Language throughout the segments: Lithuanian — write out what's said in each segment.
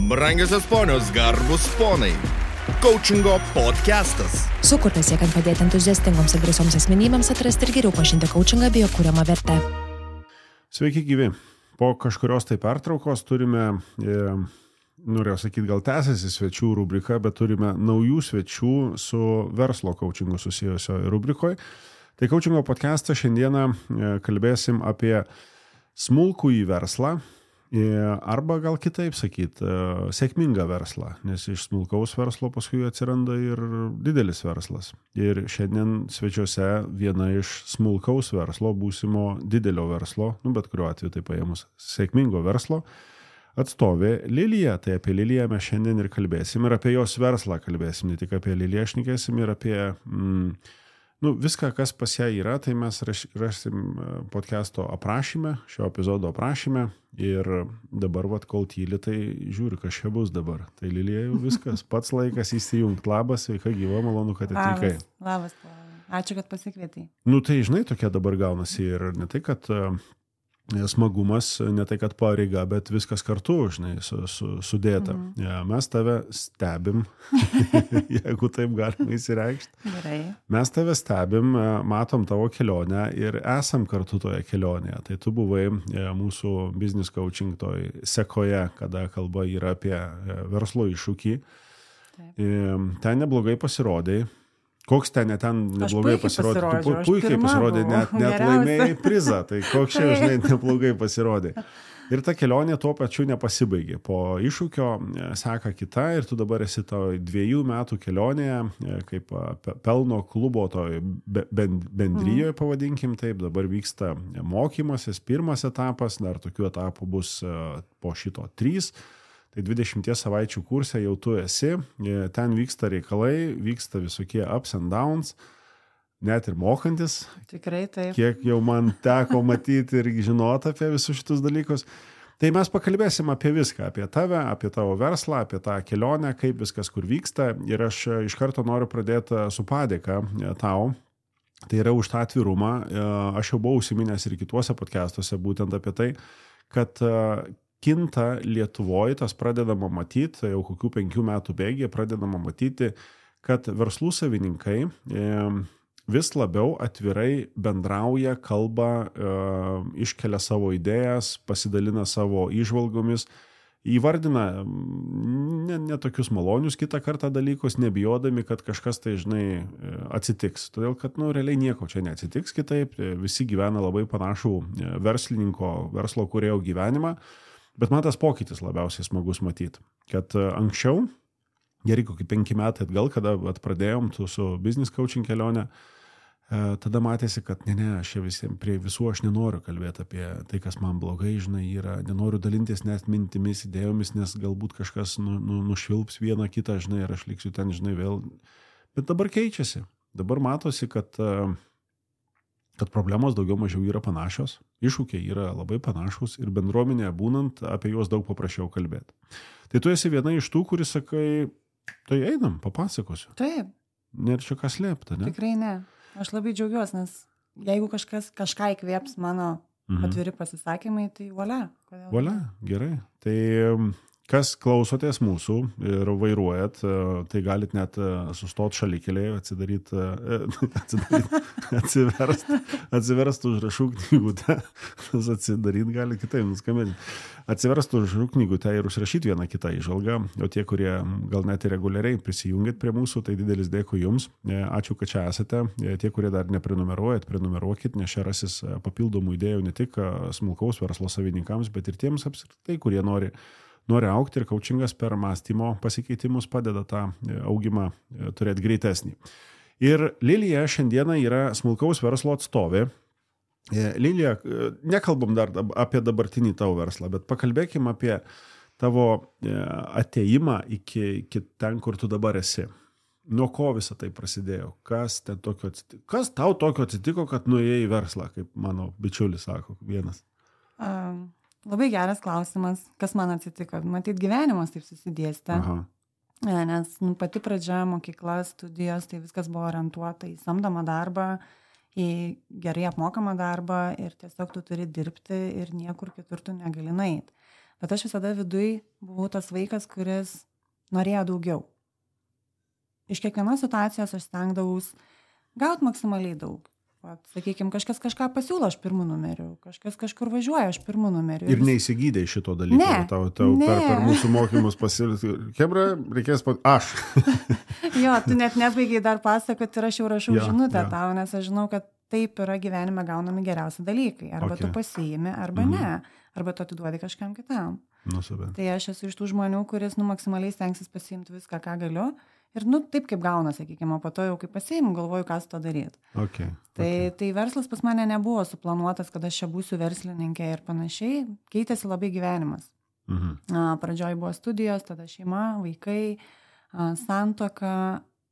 Brangiosios ponios, garbus ponai. Coachingo podcastas. Sukurtas siekiant padėti entuziastingoms ir drąsioms asmenybėms atrasti ir geriau pažinti coachingą bei jo kuriamą vertę. Sveiki gyvi. Po kažkurios tai pertraukos turime, norėjau sakyti, gal tęsiasi svečių rubrika, bet turime naujų svečių su verslo coachingu susijusio rubrikoje. Tai coachingo podcastą šiandieną kalbėsim apie smulkųjį verslą, arba gal kitaip sakyti, sėkmingą verslą, nes iš smulkaus verslo paskui atsiranda ir didelis verslas. Ir šiandien svečiuose viena iš smulkaus verslo, būsimo didelio verslo, bet kuriuo atveju tai paėmus sėkmingo verslo, atstovė Lilija. Tai apie Liliją mes šiandien ir kalbėsim, ir apie jos verslą kalbėsim, ne tik apie Liliją šnekėsim, ir apie viską, kas pas ją yra, tai mes rasim podcasto aprašyme, šio epizodo aprašyme, ir dabar, kol tyli, tai žiūri, kas čia bus dabar. Tai Lilija jau viskas, pats laikas įsijungti. Labas, sveika gyva, malonu, kad atvykai. Labas. Ačiū, kad pasikvietei. Tai žinai, tokia dabar gaunasi ir ne tai, kad smagumas, ne tai, kad pareiga, bet viskas kartu, žinai, sudėta. Mes tave stebim, jeigu taip galima įsireikšti. Gerai. Mes tave stebim, matom tavo kelionę ir esam kartu toje kelionėje. Tai tu buvai mūsų business coaching toj sekoje, kada kalba yra apie verslo iššūkį. Ten neblogai pasirodai. Koks ten neblogai pasirodė? Tu puikiai pasirodė, net laimėjai prizą, tai koks čia, žinai, neblogai pasirodė. Ir ta kelionė tuo pačiu nepasibaigė. Po iššūkio seka kita ir tu dabar esi toj 2 metų kelionėje, kaip pelno klubo toj bendrijoje, pavadinkim taip. Dabar vyksta mokymasis, pirmas etapas, dar tokių etapų bus po šito 3. Tai 20 savaičių kurse jau tu esi, ten vyksta reikalai, vyksta visokie ups and downs, net ir mokantis. Tikrai taip. Kiek jau man teko matyti ir žinoti apie visus šitus dalykus. Tai mes pakalbėsim apie viską, apie tave, apie tavo verslą, apie tą kelionę, kaip viskas kur vyksta. Ir aš iš karto noriu pradėti su padėka tau. Tai yra už tą atvirumą. Aš jau buvau užsiminęs ir kituose podcastuose būtent apie tai, kad kinta Lietuvoje, tas pradedama matyti, jau kokių 5 metų bėgyje pradedama matyti, kad verslų savininkai vis labiau atvirai bendrauja, kalba, iškelia savo idėjas, pasidalina savo įžvalgomis, įvardina ne tokius malonius kitą kartą dalykus, nebijodami, kad kažkas tai, žinai, atsitiks. Todėl, kad, realiai nieko čia neatsitiks kitaip, visi gyvena labai panašų verslo kūrėjo gyvenimą. Bet man tas pokytis labiausiai smagus matyti, kad anksčiau, gerai kokį 5 metai atgal, kada pradėjom su business coaching kelionę, tada matėsi, kad aš prie visų aš nenoriu kalbėti apie tai, kas man blogai, žinai, yra, nenoriu dalintis net mintimis, idėjomis, nes galbūt kažkas nušvilps vieną kitą, žinai, ir aš liksiu ten, žinai, vėl. Bet dabar keičiasi. Dabar matosi, kad problemos daugiau mažiau yra panašios, iššūkiai yra labai panašus ir bendruomenėje būnant apie juos daug paprasčiau kalbėti. Tai tu esi viena iš tų, kuris sakai, tai einam, papasakosiu. Taip. Nėra čia ką slėpti, ne? Tikrai ne. Aš labai džiaugiuosi, nes jeigu kažką įkvėps mano atviri pasisakymai, tai volia. Volia, gerai. Tai kas klausotės mūsų ir vairuojat, tai galit net sustot šalikelėje, atsiverst užrašų knygutę, atsidaryt gali kitaip nuskambėti. Atsiverst užrašų knygutę ir užrašyti vieną kitą įžvalgą, o tie, kurie gal net ir reguliariai prisijungit prie mūsų, tai didelis dėkui jums. Ačiū, kad čia esate. Tie, kurie dar neprenumeruojat, prenumeruokit, nes čia rasis papildomų idėjų ne tik smulkaus verslo savininkams, bet ir tiems apskritai, kurie nori augti, ir coachingas per mąstymo pasikeitimus padeda tą augimą turėti greitesnį. Ir Lilija šiandieną yra smulkaus verslo atstovė. Lilija, nekalbam dar apie dabartinį tavo verslą, bet pakalbėkim apie tavo atėjimą iki ten, kur tu dabar esi. Nuo ko visą tai prasidėjo? Kas tau tokio atsitiko, kad nuėjai į verslą, kaip mano bičiulis sako, vienas? Labai geras klausimas, kas man atsitiko. Matyt, gyvenimas taip susidėstė. Nes pati pradžia, mokykla, studijos, tai viskas buvo orientuota į samdomą darbą, į gerai apmokamą darbą ir tiesiog tu turi dirbti ir niekur kitur tu negali nueiti. Bet aš visada viduj buvau tas vaikas, kuris norėjo daugiau. Iš kiekvienos situacijos aš stengdavaus gauti maksimaliai daug. Sakykime, kažkas kažką pasiūlo, aš pirmų numeriu, kažkas kažkur važiuoja, aš pirmų numeriu. Ir neįsigydai šito dalyko, ne, tau per mūsų mokymus pasiūlyti, Chebra, reikės aš. Jo, tu net nebaigiai dar pasakoti ir aš jau rašau žinutę tau, nes aš žinau, kad taip yra gyvenime gaunami geriausi dalykai. Arba tu pasiimi, arba ne. Arba tu atiduodi kažkam kitam. Tai aš esu iš tų žmonių, kuris maksimaliai stengsis pasiimti viską, ką galiu. Ir taip kaip gauna, sakykime, o po to jau kaip pasiimu, galvoju, ką su to daryti. Tai verslas pas mane nebuvo suplanuotas, kad aš čia būsiu verslininkė ir panašiai. Keitėsi labai gyvenimas. Pradžioj buvo studijos, tada šeima, vaikai, santuoka.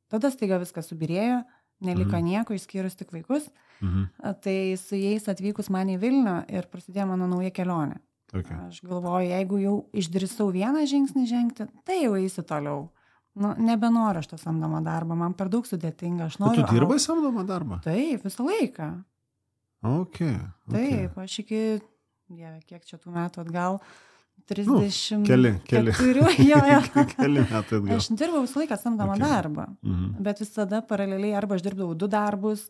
Tada staiga viskas subirėjo, neliko nieko, išskyrus tik vaikus. Tai su jais atvykus man į Vilnių ir prasidėjo mano nauja kelionė. Aš galvoju, jeigu jau išdrįsau vieną žingsnį žengti, tai jau eisiu toliau. Nebenoriu aš to samdomą darbą, man per daug sudėtinga. Tu dirbai samdomą darbą? Taip, visą laiką. Taip, aš iki, kiek čia tų metų atgal, 30... Keli. Keli metų atgal. Aš dirbau visą laiką samdomą darbą, bet visada paraleliai arba aš dirbdavau 2 darbus,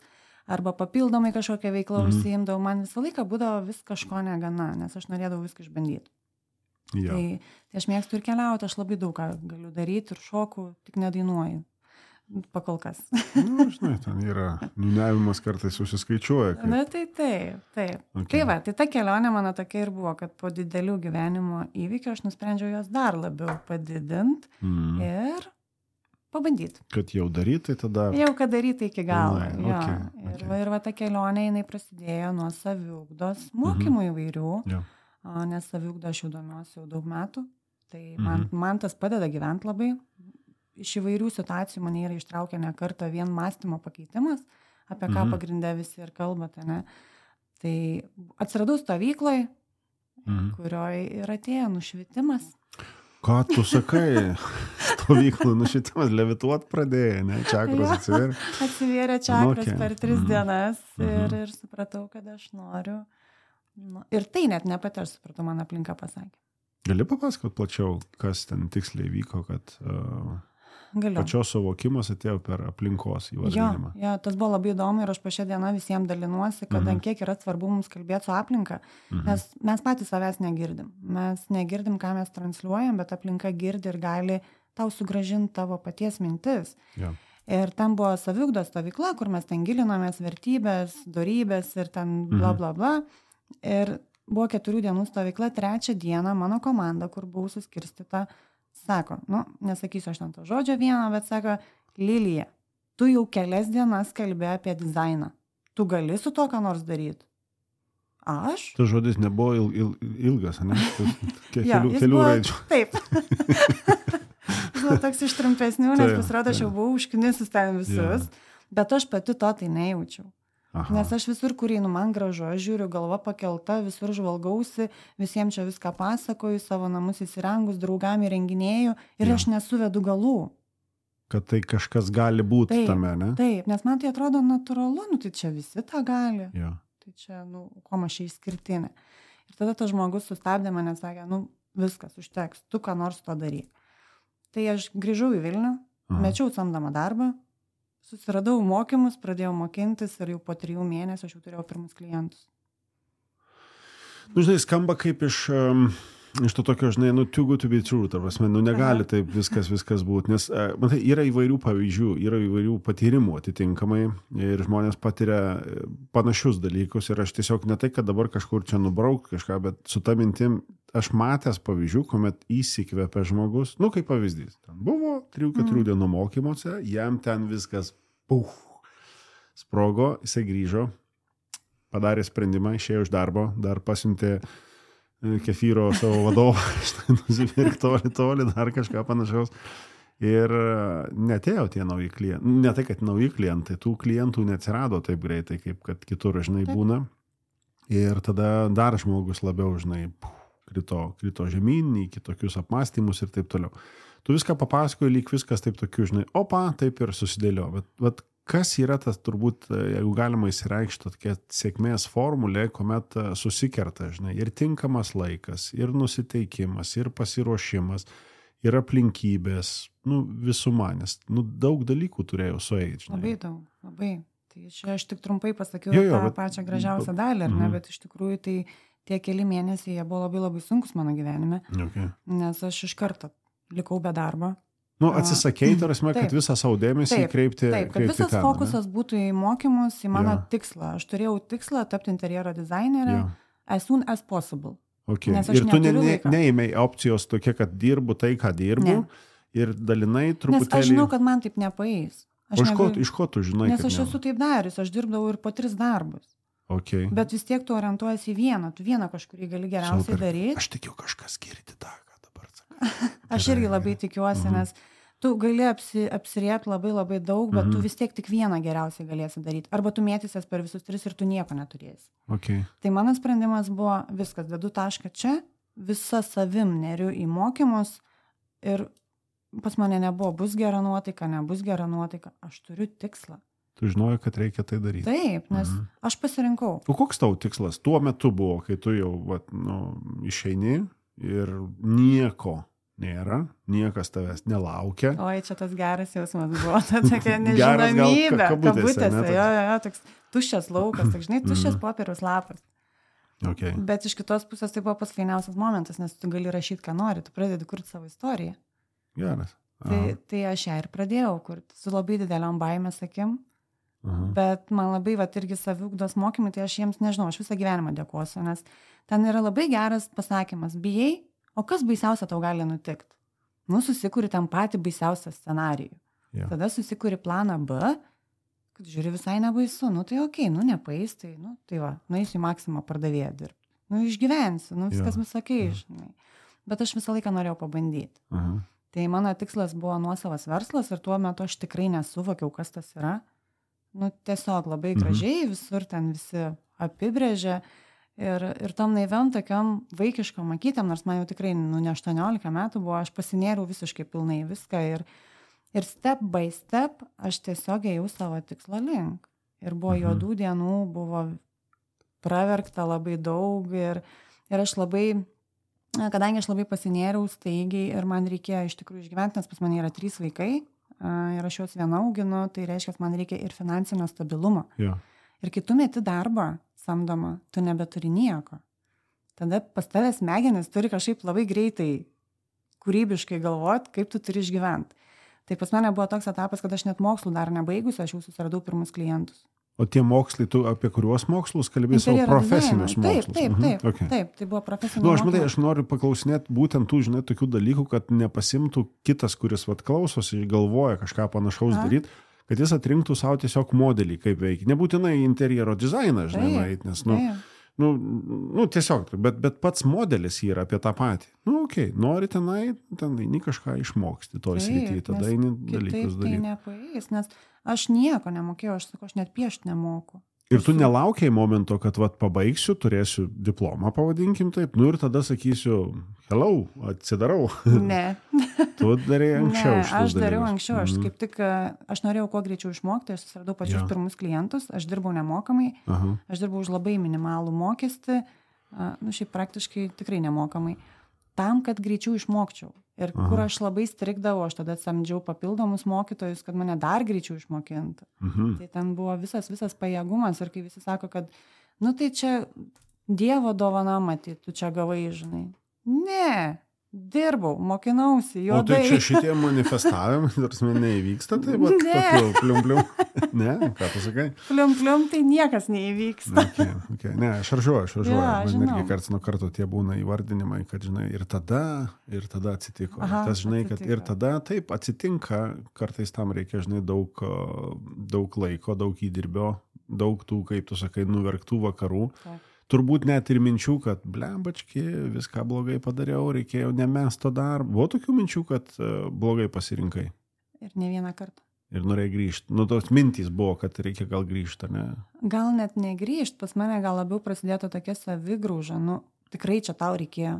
arba papildomai kažkokią veiklą užsiimdavau. Man visą laiką būdavo vis kažko negana, nes aš norėdavau viską išbandyti. Tai aš mėgstu ir keliauti, aš labai daug ką galiu daryti ir šoku, tik nedainuoju. Pakol kas. Žinai, ten yra niūniavimas kartais susiskaičiuoja. Taip. Tai ta kelionė mano tokia ir buvo, kad po didelių gyvenimo įvykių aš nusprendžiau jos dar labiau padidinti ir pabandyti. Kad jau daryti, tada... Jau kad daryti iki galo. Ir ta kelionė, jinai prasidėjo nuo saviugdos mokymų įvairių. Nes saviugdą aš jau domiuosi jau daug metų, tai man tas padeda gyventi labai. Iš įvairių situacijų mane yra ištraukę ne kartą vien mąstymo pakeitimas, apie ką pagrinde visi ir kalbate, ne. Tai atsiradau stovykloje, kurioje ir atėjo nušvitimas. Ką tu sakai? Stovyklų nušvitimas, levituot pradėjai, ne? Čakros atsivėrė? Atsivėrė čakros per 3 dienas ir supratau, kad aš noriu. Ir tai net ne pati aš supratau, man aplinka pasakė. Gali papasakot plačiau, kas ten tiksliai vyko, kad pačios suvokimas atėjo per aplinkos įvardinimą? Jo, tas buvo labai įdomu ir aš po šią dieną visiems dalinuosi, kad kiek yra svarbu mums kalbėti su aplinka, nes mes patys savęs negirdim. Mes negirdim, ką mes transliuojam, bet aplinka girdi ir gali tau sugrąžinti tavo paties mintis. Ir ten buvo saviugdos stovykla, kur mes ten gilinomės vertybės, dorybės ir ten bla bla bla. Ir buvo 4 dienų stovykla, 3 dieną mano komanda, kur buvau suskirstyta, sako, nesakysiu aš ten to žodžio vieną, bet sako, Lilija, tu jau kelias dienas kalbė apie dizainą. Tu gali su to ką nors daryti? Aš? Tas žodis nebuvo ilgas, ne? Kelių raidžių. Taip. Buvo toks iš trumpesnių, nes pasirodo, aš jau buvau užknisus ten visus, bet aš pati to tai nejaučiau. Nes aš visur, kur einu, man gražu, aš žiūriu, galva pakelta, visur žvalgausi, visiems čia viską pasakoju, savo namus įsirengus, draugam įrenginėju ir aš nesuvedu galų. Kad tai kažkas gali būti tame, ne? Taip, nes man tai atrodo natūralu, tai čia visi tą gali. Tai čia, kuo aš čia išskirtinė. Ir tada tas žmogus sustabdė mane, sakė, viskas, užteks, tu ką nors to daryk. Tai aš grįžau į Vilnių, mečiau samdomą darbą, susiradau mokymus, pradėjau mokintis ir jau po 3 mėnesių aš jau turėjau pirmus klientus. Žinai, skamba kaip iš to tokio, žinai, too good to be true, tarpasme, negali taip viskas būti, nes matai, yra įvairių pavyzdžių, yra įvairių patyrimų atitinkamai ir žmonės patiria panašius dalykus ir aš tiesiog ne tai, kad dabar kažkur čia nubrauk kažką, bet su ta mintim aš matęs pavyzdžių, kuomet įsikvepia žmogus, kaip pavyzdys. Ten buvo 3-4 dienų mokymuose, jam ten viskas sprogo, jisai grįžo, padarė sprendimą, išėjo iš darbo, dar pasiuntė kefyro savo vadovą, nusipirkti toli, dar kažką panašaus. Ir netėjo tie nauji klientai. Ne tai, kad nauji klientai, tų klientų neatsirado taip greitai, kaip kad kitur, žinai, būna. Ir tada dar žmogus labiau, žinai, krito žemyn į kitokius apmąstymus ir taip toliau. Tu viską papasakoji, lyg viskas taip tokiu, žinai, taip ir susidėlio. Bet kas yra tas turbūt, jeigu galima įsireikšti, tokia sėkmės formulė, kuomet susikerta, žinai, ir tinkamas laikas, ir nusiteikimas, ir pasiruošimas, ir aplinkybės, visuma, nes daug dalykų turėjau sueiti. Labai daug, labai. Tai čia aš tik trumpai pasakiau tą pačią gražiausią dalį, ar ne, bet iš tikrųjų tai tie keli mėnesiai jie buvo labai labai sunkus mano gyvenime, nes aš iš karto likau be darbo. Atsisakei, tarsi, kad visą savo dėmesį kreipti. Taip, kad visas fokusas būtų į mokymus, į mano tikslą. Aš turėjau tikslą tapti interjero dizainerė as soon as possible. Okay. Ir tu neėmei opcijos tokia, kad dirbu tai, ką dirbu, ir dalinai truputėlį... Nes aš žinau, kad man taip nepaeis. Iš ko tu žinai? Nes aš esu taip darius, aš dirbdavau ir po 3 darbus. Okay. Bet vis tiek tu orientuojasi į vieną, tu vieną kažkurį gali geriausiai daryti. Aš tikiu kažkas girdi tą, ką dabar sakai. Aš irgi labai tikiuosi, nes tu gali apsirėti labai labai daug, bet tu vis tiek tik vieną geriausiai galėsi daryti. Arba tu mėtysies per visus 3 ir tu nieko neturėsi. Okay. Tai mano sprendimas buvo viskas, dedu tašką čia, visa savim neriu į mokymus ir pas mane nebuvo, bus gera nuotaika, nebus gera nuotaika, aš turiu tikslą. Tu žinojai, kad reikia tai daryti. Taip, nes aš pasirinkau. O koks tavo tikslas tuo metu buvo, kai tu jau išeini ir nieko nėra, niekas tavęs nelaukia. Oi, čia tas geras jausmas buvo, ta tokia nežinomybė, kabutėse, toks tuščias laukas, tak, žinai, tuščias popieriaus lapas. Okay. Bet iš kitos pusės tai buvo pats fainiausias momentas, nes tu gali rašyti, ką nori, tu pradedi kurti savo istoriją. Geras. Tai aš ją ir pradėjau kurti su labai dideliom baimės akim. Bet man labai irgi saviugdos mokymai, tai aš jiems nežinau, aš visą gyvenimą dėkosiu, nes ten yra labai geras pasakymas, bijai, o kas baisiausia tau gali nutikti? Susikuri ten patį baisiausią scenarijų. Yeah. Tada susikuri planą B, kad žiūri visai nebaisu, tai okei, nepaeis, tai va, nueisiu į Maksimą pardavėją dirbti. Išgyvensiu, viskas bus okei, žinai. Bet aš visą laiką norėjau pabandyti. Tai mano tikslas buvo nuosavas verslas ir tuo metu aš tikrai nesuvokiau, kas tas yra. Tiesiog labai gražiai, visur ten visi apibrėžė ir tom naiviam tokiam vaikiškom akytėm, nors man jau tikrai ne 18 metų buvo, aš pasinėriau visiškai pilnai viską ir step by step aš tiesiog ėjau savo tikslo link. Ir buvo juodų dienų, buvo praverkta labai daug ir aš labai, kadangi aš labai pasinėriau staigiai ir man reikėjo iš tikrųjų išgyventi, nes pas mane yra 3 vaikai, ir aš juos viena auginu, tai reiškia, kad man reikia ir finansinio stabilumo. Ja. Ir kai tu meti darbą samdomą, tu nebeturi nieko. Tada pas tave smegenis turi kažkaip labai greitai, kūrybiškai galvoti, kaip tu turi išgyventi. Tai pas mane buvo toks etapas, kad aš net mokslų dar nebaigusi, aš jau susiradau pirmus klientus. O tie mokslai, tu apie kuriuos mokslus kalbėjai, savo profesinius mokslus? Taip, tai buvo profesiniai mokslai. Aš noriu paklausinėti būtent tų, žinai, tokių dalykų, kad nepasimtų kitas, kuris klausosi, galvoja kažką panašaus daryti, kad jis atrinktų savo tiesiog modelį, kaip veikia. Nebūtinai interjero dizainą, žinai, nes, tiesiog, bet pats modelis yra apie tą patį. Nori tenai kažką išmoksti toj srityje, tada eini dalykus daryti. Tai nepaeis, nes aš nieko nemokėjau, aš net piešti nemoku. Ir tu nelaukiai momento, kad pabaigsiu, turėsiu diplomą, pavadinkim taip, ir tada sakysiu, hello, atsidarau. Ne. Tu darėjai anksčiau. Ne, aš dariau anksčiau, aš kaip tik, aš norėjau kuo greičiau išmokti, aš susiradau pačius pirmus klientus, aš dirbau nemokamai, aš dirbau už labai minimalų mokestį, šiaip praktiškai tikrai nemokamai, tam, kad greičiau išmokčiau. Ir kur aš labai strigdavau, aš tada samdžiau papildomus mokytojus, kad mane dar greičiau išmokintų. Tai ten buvo visas pajėgumas ir kai visi sako, kad, tai čia Dievo dovana matyt, tu čia gavai, žinai. Ne, dirbau, mokinausi, juodai. O tai čia šitie manifestavimai, tarsi neįvyksta, tai va, tokiu plium-plium. Ne, ką tu sakai? Plium-plium, tai niekas neįvyksta. Okay. Ne, šaržuoju. Man irgi karts nuo karto tie būna įvardinimai, kad, žinai, ir tada atsitiko. Tas, žinai, kad ir tada taip atsitinka, kartais tam reikia, žinai, daug laiko, daug įdirbio, daug tų, kaip tu sakai, nuverktų vakarų. Taip. Turbūt net ir minčių, kad blembački, viską blogai padariau, reikėjo nemest to darbo. Buvo tokių minčių, kad blogai pasirinkai? Ir ne vieną kartą. Ir norėjai grįžti. Tos mintys buvo, kad reikia gal grįžti, ne? Gal net negrįžti, pas mane gal labiau prasidėtų tokia savigrauža. Tikrai čia tau reikėjo.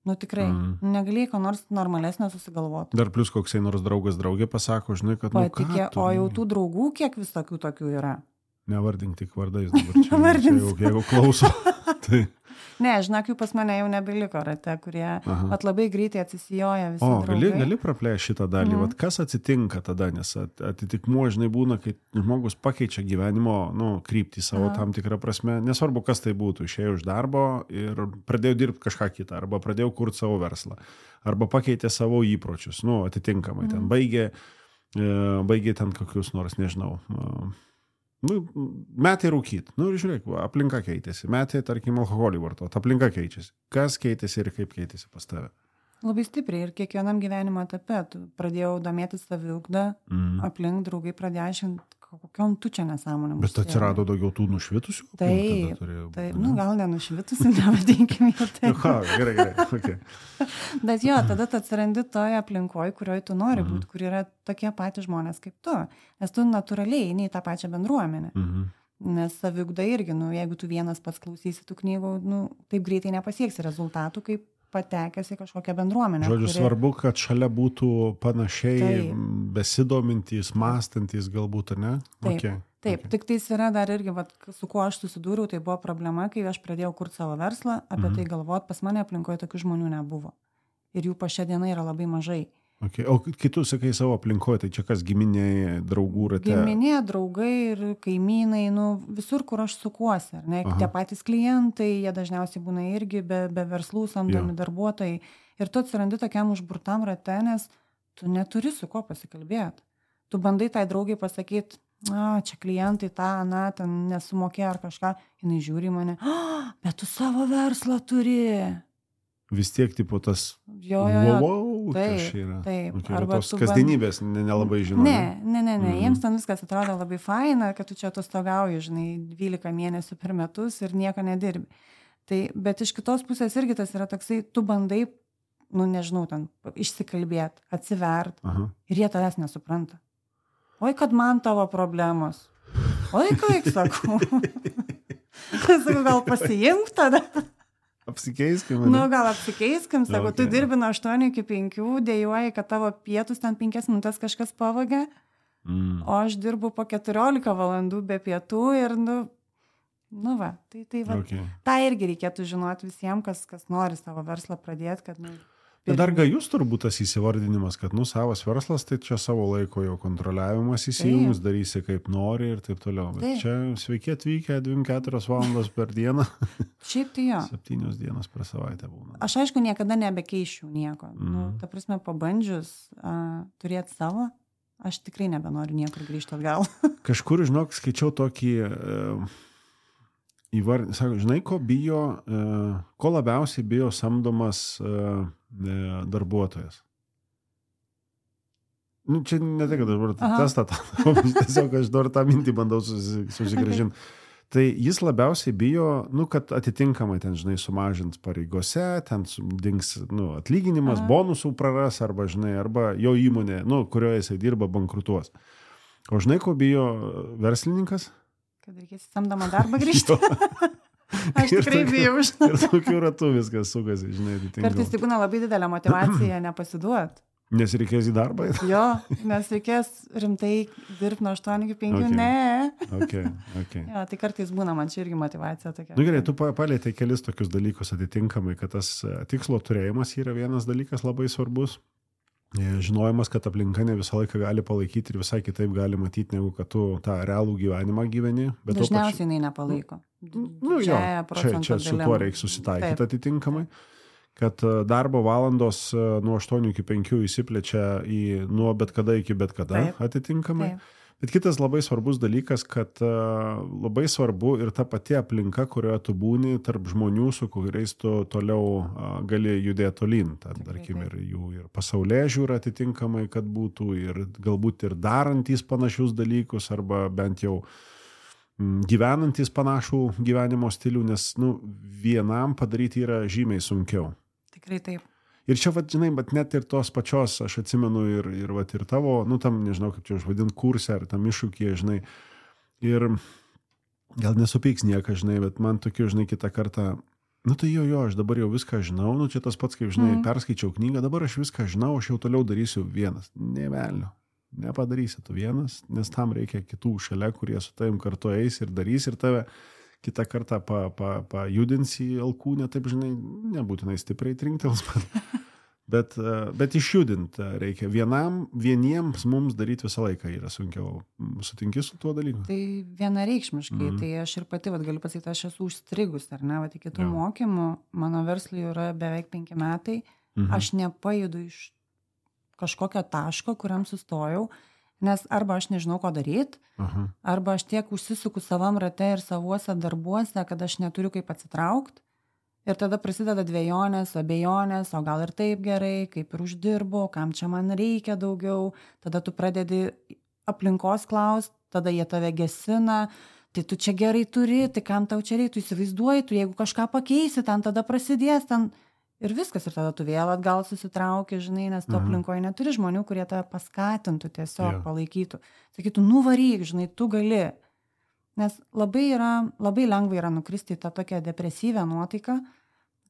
Nu tikrai, negalėjai ko nors normalesnio susigalvoti. Dar plus koksai nors draugas draugė pasako, žinai, kad Patikė, o jau tų draugų kiek visokių tokių yra? Nevardink tik vardais dabar čia jeigu klauso. Tai... Ne, žinok, jų pas mane jau nebeliko rate, kurie labai greitai atsisijoja visi draugai. Gali praplėsti šitą dalį. Vat kas atsitinka tada, nes atitikmuo, žinai, būna, kai žmogus pakeičia gyvenimo kryptį savo tam tikrą prasme. Nesvarbu, kas tai būtų. Išėjo iš darbo ir pradėjo dirbti kažką kitą, arba pradėjo kurti savo verslą, arba pakeitė savo įpročius. Atitinkamai ten baigė ten kokius nors, nežinau... metai rūkyt. Žiūrėk, aplinka keitėsi. Metai, tarkim, alkoholį vartot. Aplinka keičiasi. Kas keitėsi ir kaip keitėsi pas tave? Labai stipriai ir kiekvienam gyvenimo etape. Pradėjau domėtis saviugdą, aplink draugai pradėjo aiškinti, kokiom tu čia nesąmonėm. Bet atsirado daugiau tų nušvitusių? Taip, gal nenušvitusių, nevadinkim jau taip. Gerai, okay. Bet jo, tada tu atsirandi toje aplinkoje, kurioje tu nori būti, kur yra tokie patys žmonės kaip tu. Nes tu natūraliai eini į tą pačią bendruomenę. Nes saviugda irgi, jeigu tu vienas pats klausysi tų knygų, taip greitai nepasieksi rezultatų, kaip patekęs į kažkokią bendruomenę. Žodžiu, svarbu, kad šalia būtų panašiai besidomintys, mąstantys galbūt, ne? Taip. Tik tais yra dar irgi, su kuo aš susidūriau, tai buvo problema, kai aš pradėjau kurti savo verslą, apie tai galvot, pas mane aplinkoje tokių žmonių nebuvo. Ir jų po šią dieną yra labai mažai. O kai tu sakai savo aplinkoje, tai čia kas giminė, draugų rate? Giminė, draugai ir kaimynai, visur, kur aš sukuosi. Tie patys klientai, jie dažniausiai būna irgi be verslų samdomi darbuotojai. Ir tu atsirandi tokiam užburtam rate, nes tu neturi su kuo pasikalbėti. Tu bandai tai draugai pasakyti, čia klientai ten nesumokėjo ar kažką, jinai žiūri į mane, bet tu savo verslą turi. Vis tiek, tipo, tas taip. Arba tos kasdienybės nelabai žinau. Ne. Jiems ten viskas atrodo labai faina, kad tu čia atostogauji, žinai, 12 mėnesių per metus ir nieko nedirbi. Bet iš kitos pusės irgi tas yra toksai, tu bandai, nežinau, ten išsikalbėti, atsivert ir jie tavęs nesupranta. Oi, kad man tavo problemos. Oi, kaip sakau. Sakau, gal pasiimk tada. Apsikeiskim. Gal apsikeiskim, sako, tu dirbi nuo 8 iki 5, dėjuoji, kad tavo pietus ten 5 minutės kažkas pavogė, o aš dirbu po 14 valandų be pietų ir tą irgi reikėtų žinoti visiems, kas nori savo verslą pradėti, kad Bet dar gajus turbūt tas įsivardinimas, kad savas verslas, tai čia savo laiko jau kontroliavimas įsijungs, darysi kaip nori ir taip toliau. Bet čia sveiki atvykę 2-4 valandos per dieną. Šiaip tai jo. 7 dienas per savaitę būna. Aš aišku niekada nebekeišiu nieko. Ta prasme, pabandžius turėti savo, aš tikrai nebenoriu niekur grįžti atgal. Kažkur, žinok, skaičiau tokį... Sako, žinai, ko labiausiai bijo samdomas darbuotojas? Čia ne tai, kad aš testą, tiesiog aš dar tą mintį bandau susigrąžinti. Tai jis labiausiai bijo, kad atitinkamai ten, žinai, sumažins pareigose, ten dings atlyginimas, bonusų praras, arba, žinai, arba jo įmonė, kurioje jisai dirba, bankrutuos. O žinai, ko bijo verslininkas? Kad reikės samdomą darbą grįžti. Aš tikrai bijau. Ir tokiu ratu viskas sukasi, žinai. Kartais tai būna labai didelė motyvacija nepasiduoti. Nes reikės į darbą? Jo, nes reikės rimtai dirbti nuo 8 iki 5. Ne. Okay. Jo, tai kartais būna man čia irgi motyvacija tokia. Gerai, tu palietei kelis tokius dalykus atitinkamai, kad tas tikslo turėjimas yra vienas dalykas labai svarbus. Žinojimas, kad aplinka ne visą laiką gali palaikyti ir visai kitaip gali matyti, negu kad tu tą realų gyvenimą gyveni. Dažniausiai jinai nepalaiko. Čia su tuo reikia susitaikyti atitinkamai, kad darbo valandos nuo 8 iki 5 įsiplečia nuo bet kada iki bet kada atitinkamai. Bet kitas labai svarbus dalykas, kad labai svarbu ir ta pati aplinka, kurioje tu būni, tarp žmonių, su kuriais tu toliau gali judėti tolyn. Tarkim, ir jų ir pasaulyje žiūra atitinkamai, kad būtų, ir galbūt ir darantys panašius dalykus, arba bent jau gyvenantys panašų gyvenimo stilių, nes vienam padaryti yra žymiai sunkiau. Tikrai taip. Ir čia, žinai, bet net ir tos pačios, aš atsimenu ir tavo, tam, nežinau, kaip čia užvadint, kursą ar tam iššūkyje, žinai, ir gal nesupyks niekas, žinai, bet man tokiu, žinai, kitą kartą Nu tai jo, aš dabar jau viską žinau, nu čia tas pats, kaip žinai, perskaičiau knygą, dabar aš viską žinau, aš jau toliau darysiu vienas. Ne velnio, nepadarysi tu vienas, nes tam reikia kitų šalia, kurie su tavim kartu eis ir darys ir tave kitą kartą pajudinsi alkūnę, taip žinai, nebūtinai stipriai trinktels, bet išjudinti reikia. Vieniems mums daryti visą laiką yra sunkiau. Sutinki su tuo dalyku? Tai vienareikšmiškai, tai aš ir pati galiu pasakyti, aš esu užstrigus, ar ne, iki tų mokymų, mano verslui yra beveik 5 metai, aš nepajudu iš kažkokio taško, kuriam sustojau, nes arba aš nežinau, ko daryti, arba aš tiek užsisuku savam rate ir savuose darbuose, kad aš neturiu kaip atsitraukti. Ir tada prasideda dvejonės, abejonės, o gal ir taip gerai, kaip ir uždirbu, kam čia man reikia daugiau. Tada tu pradedi aplinkos klaust, tada jie tave gesina, tai tu čia gerai turi, tai kam tau čia reikia, tu įsivaizduoji, tu jeigu kažką pakeisi, ten tada prasidės, ten ir viskas, ir tada tu vėl atgal susitrauki, žinai, nes tu aplinkoje neturi žmonių, kurie tave paskatintų, tiesiog palaikytų. Sakytų, nuvaryk, žinai, tu gali. Nes labai lengva yra nukristi į tą tokią depresyvę nuotaiką,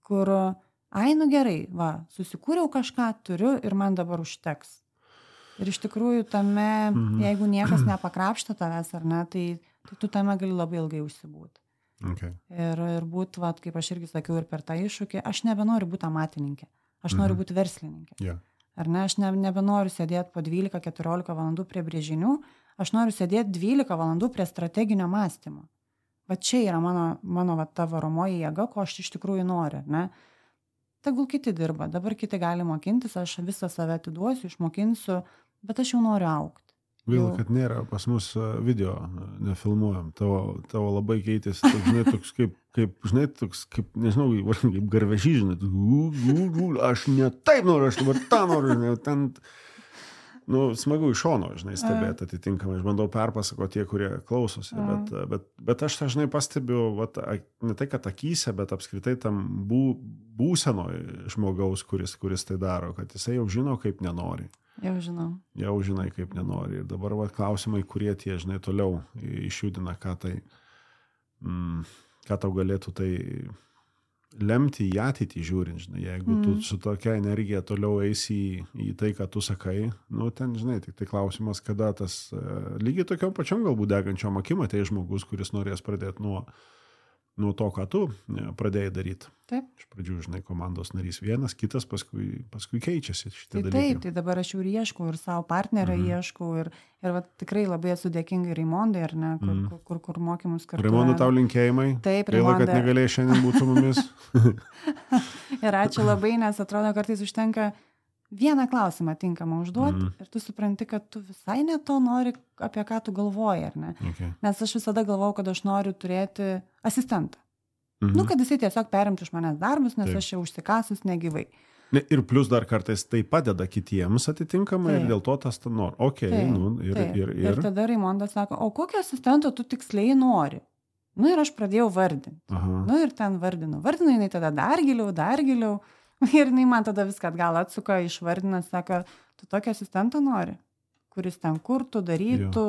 kur, nu gerai, susikūriau kažką, turiu ir man dabar užteks. Ir iš tikrųjų tame, jeigu niekas nepakrapšta tavęs ar ne, tai tu tame gali labai ilgai užsibūti. Okay. Ir būt, kaip aš irgi sakiau ir per tą iššūkį, aš nebenoriu būti amatininkė, aš noriu būti verslininkė. Yeah. Ar ne, aš nebenoriu sėdėti po 12-14 valandų prie brėžinių, aš noriu sėdėti 12 valandų prie strateginio mąstymo. Va čia yra mano ta varomoji jėga, ko aš iš tikrųjų noriu, ne? Tegul kiti dirba, dabar kiti gali mokintis, aš visą save atiduosiu, išmokinsiu, bet aš jau noriu augti. Gaila, kad nėra pas mus video, nefilmuojam, tavo labai keitėsi, žinai, toks kaip, nežinau, kaip garvežys, žinai, aš ne taip noriu, aš dabar tą noriu, žinai, ten, smagu iš šono, žinai, stebėti atitinkamai, aš bandau perpasakoti tie, kurie klausosi, bet aš dažnai pastebiu, ne tai, kad akyse, bet apskritai tam būsenoj žmogaus, kuris tai daro, kad jisai jau žino, kaip nenori. Jau žinai, kaip nenori. Ir dabar klausimai, kurie tie, žinai, toliau išjudina, ką tau galėtų tai lemti į ateitį žiūrint, žinai. Jeigu tu su tokia energija toliau eisi į tai, ką tu sakai, ten, žinai, tik tai klausimas, kada tas lygiai tokiom pačiom galbūt degančiom akim ateis žmogus, kuris norės pradėti nuo to, ką tu pradėjai daryti. Taip. Iš pradžių, žinai, komandos narys vienas, kitas, paskui keičiasi šitie dalykai. Taip, tai dabar aš jau ir ieškau, ir savo partnerio ieškau, ir tikrai labai esu dėkinga Raimondai, ar ne, kur mokymus kartu. Raimondai, tau linkėjimai. Taip, Gaila, kad negalėjai šiandien būti su mumis. Ir ačiū labai, nes atrodo, kartais užtenka vieną klausimą tinkamą užduoti ir tu supranti, kad tu visai ne to nori, apie ką tu galvoji, ar ne? Okay. Nes aš visada galvojau, kad aš noriu turėti asistentą. Kad jisai tiesiog perimtų iš manęs darbus, nes aš jau užsikasus negyvai. Ir plus dar kartais tai padeda kitiems atitinkamai ir dėl to tas nori. Ir tada Raimondas sako, o kokio asistento tu tiksliai nori? Ir aš pradėjau vardinti. Ir ten vardinu, jinai tada dar giliau. Ir jinai man tada viską atgal atsuka, išvardina, sako, tu tokį asistentą nori, kuris ten kurtų, darytų,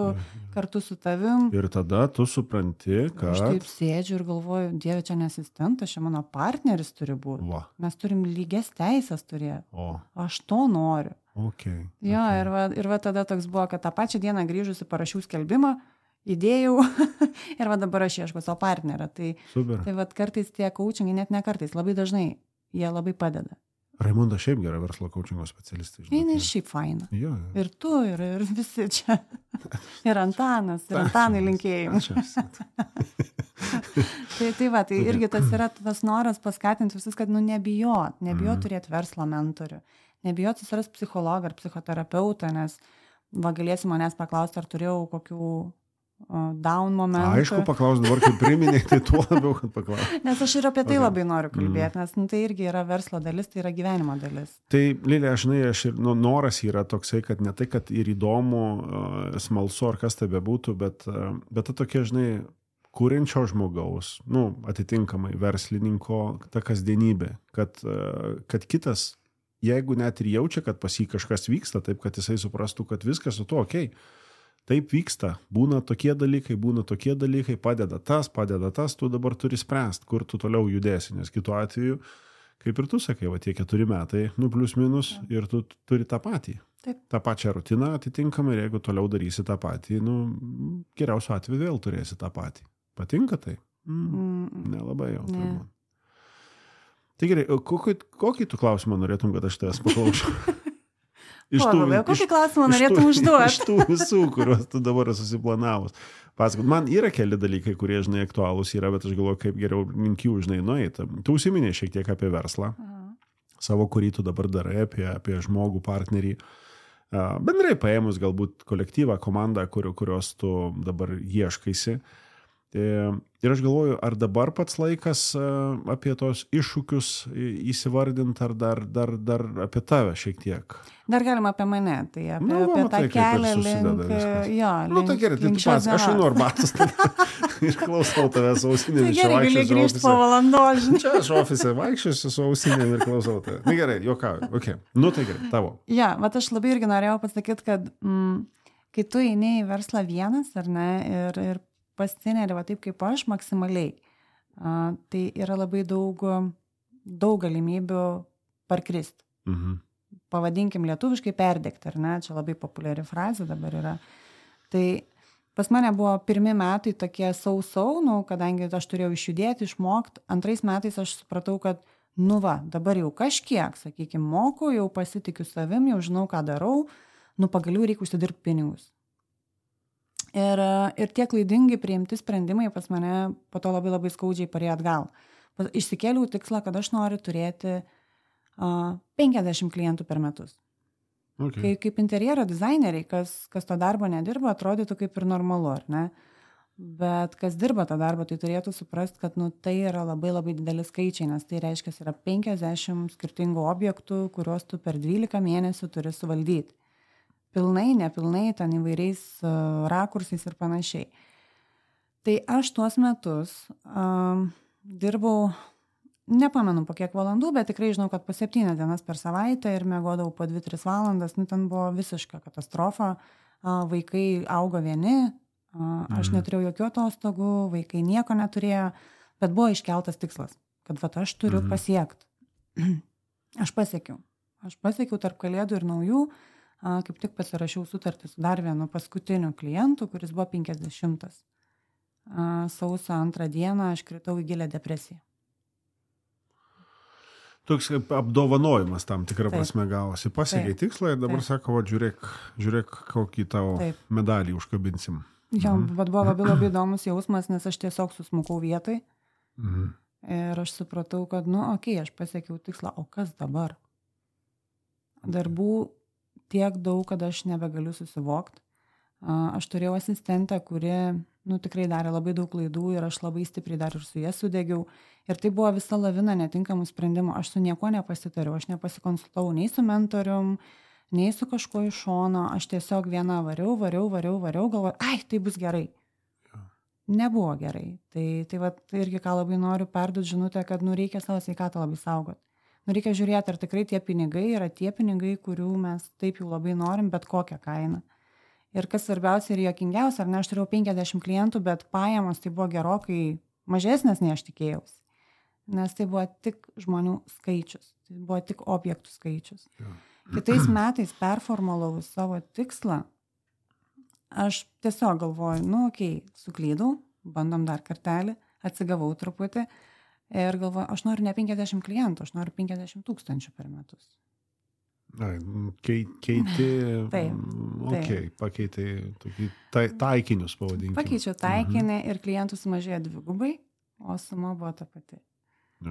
kartu su tavim. Ir tada tu supranti, kad... Aš taip sėdžiu ir galvoju, Dieve, čia ne asistentas, čia mano partneris turi būti. Mes turim lygias teisės turėti. Aš to noriu. Ir tada toks buvo, kad tą pačią dieną grįžusi parašiau skelbimą, įdėjau ir dabar aš ieškau savo partnerą. Tai kartais tie coachingai, net ne kartais, labai dažnai jie labai padeda. Raimonda šiaip gera verslo coachingo specialistai. Jis šiaip faina. Ir tu, ir visi čia. Ir Antanas, ir Antanai linkėjimai. Tai irgi tas yra tas noras paskatinti visus, kad nebijot turėti verslo mentorių. Nebijot susiras psichologą ar psichoterapeutą, nes galėsi manęs paklausti, ar turėjau kokių down momentų. Aišku, paklaus dabar, kaip priminė, tai tuo labiau, kad paklaus. Nes aš ir apie tai labai noriu kalbėti, nes tai irgi yra verslo dalis, tai yra gyvenimo dalis. Tai, Lilė, aš ir noras yra toksai, kad ne tai, kad ir įdomu, smalsu, ar kas tai bebūtų, bet ta tokia, žinai, kūrenčio žmogaus, atitinkamai verslininko, ta kasdienybė, kad kitas, jeigu net ir jaučia, kad pas jį kažkas vyksta, taip, kad jisai suprastų, kad viskas su to okei. taip vyksta, būna tokie dalykai, padeda tas, tu dabar turi spręsti, kur tu toliau judėsi, nes kitu atveju, kaip ir tu sakai, va tie 4 metai, plius minus, ir tu turi tą patį. Taip. tą pačią rutiną atitinkamai ir jeigu toliau darysi tą patį, geriausiu atveju vėl turėsi tą patį. Patinka tai? Nelabai jau. Ne. Tai gerai, kokį tu klausimą norėtum, kad aš tavęs paklausiu? Kokį klausimą norėtum užduoti? Iš tų visų, kuriuos tu dabar susiplanavus. Pasakot, man yra keli dalykai, kurie, žinai, aktualūs yra, bet aš galvoju, kaip geriau link jų, žinai, nueiti. Tu užsiminei šiek tiek apie verslą, savo, kurį tu dabar darai, apie žmogų, partnerį. Bendrai paėmus galbūt kolektyvą, komandą, kurios tu dabar ieškaisi. Ir aš galvoju, ar dabar pats laikas apie tos iššūkius įsivardinti, ar dar apie tave šiek tiek? Dar galima apie mane, tai apie tą kelią link... Tai gerai, tai tu pats, aš einu arbatas ir klausau tavęs ausinėmis. Tai gerai, gali grįžti po valandos. Čia aš ofise vaikščiosiu su ausinėmis ir klausau tave. Na gerai, juokauju. Okay. Tai gerai, tavo. Bet aš labai irgi norėjau pasakyti, kad kai tu eini į verslą vienas, ar ne, ir pasineri va taip kaip aš maksimaliai, tai yra labai daug galimybių parkrist. Pavadinkim lietuviškai perdegti, ar ne, čia labai populiari frazė dabar yra. Tai pas mane buvo 1 metai tokie sau, kadangi aš turėjau išjudėti, išmokti, 2 metais aš supratau, kad dabar jau kažkiek, sakykime, moku, jau pasitikiu savim, jau žinau, ką darau, pagaliau reikia užsidirbti pinigus. Ir tie klaidingi priimti sprendimai pas mane po to labai labai skaudžiai parėjo atgal. Išsikėliau tikslą, kad aš noriu turėti 50 klientų per metus. Okay. Kaip interjero dizaineriai, kas to darbo nedirba, atrodytų kaip ir normalu, ar ne? Bet kas dirba tą darbą, tai turėtų suprasti, kad tai yra labai labai dideli skaičiai, nes tai reiškia, yra 50 skirtingų objektų, kuriuos tu per 12 mėnesių turi suvaldyti. Pilnai, nepilnai, ten įvairiais rakursais ir panašiai. Tai aš tuos metus dirbau, nepamenu po kiek valandų, bet tikrai žinau, kad po 7 dienas per savaitę ir miegodavau po 2-3 valandas, ten buvo visiška katastrofa. Vaikai augo vieni, aš neturėjau jokių atostogų, vaikai nieko neturėjo, bet buvo iškeltas tikslas, kad aš turiu pasiekti. Aš pasiekiau tarp kalėdų ir naujų, kaip tik pasirašiau sutartį su dar vienu paskutiniu klientu, kuris buvo 50. Sausio 2 dieną aš kritau į gilę depresiją. Toks apdovanojimas tam tikrą prasme gavosi. Pasiekiai tikslą ir dabar sako, žiūrėk, kokį tavo medalį užkabinsim. Bet buvo labai labai įdomus jausmas, nes aš tiesiog susmukau vietai. Ir aš supratau, kad, aš pasiekiau tikslą, o kas dabar? Darbų tiek daug, kad aš nebegaliu susivokti. Aš turėjau asistentę, kuri tikrai darė labai daug klaidų ir aš labai stipriai dar ir su jie sudegiau. Ir tai buvo visa lavina netinkamų sprendimų. Aš su niekuo nepasitariau, aš nepasikonsultavau nei su mentorium, nei su kažkuo iš šono. Aš tiesiog viena variau, galvoju, tai bus gerai. Nebuvo gerai. Tai irgi ką labai noriu perduoti žinutę, kad reikia savo sveikatą labai saugoti. Reikia žiūrėti, ar tikrai tie pinigai yra tie pinigai, kurių mes taip jau labai norim, bet kokią kainą. Ir kas svarbiausia ir juokingiausia, ar ne, aš turėjau 50 klientų, bet pajamos tai buvo gerokai mažesnės, nei aš tikėjausi. Nes tai buvo tik žmonių skaičius, tai buvo tik objektų skaičius. Kitais metais performulavau savo tikslą, aš tiesiog galvoju, suklydau, bandom dar kartelį, atsigavau truputį. Ir galvoju, aš noriu ne 50 klientų, aš noriu 50 000 per metus. Keiti, pakeitai taikinius pavadinkime. Pakeičiau taikinį ir klientų sumažėjo 2, o suma buvo ta pati.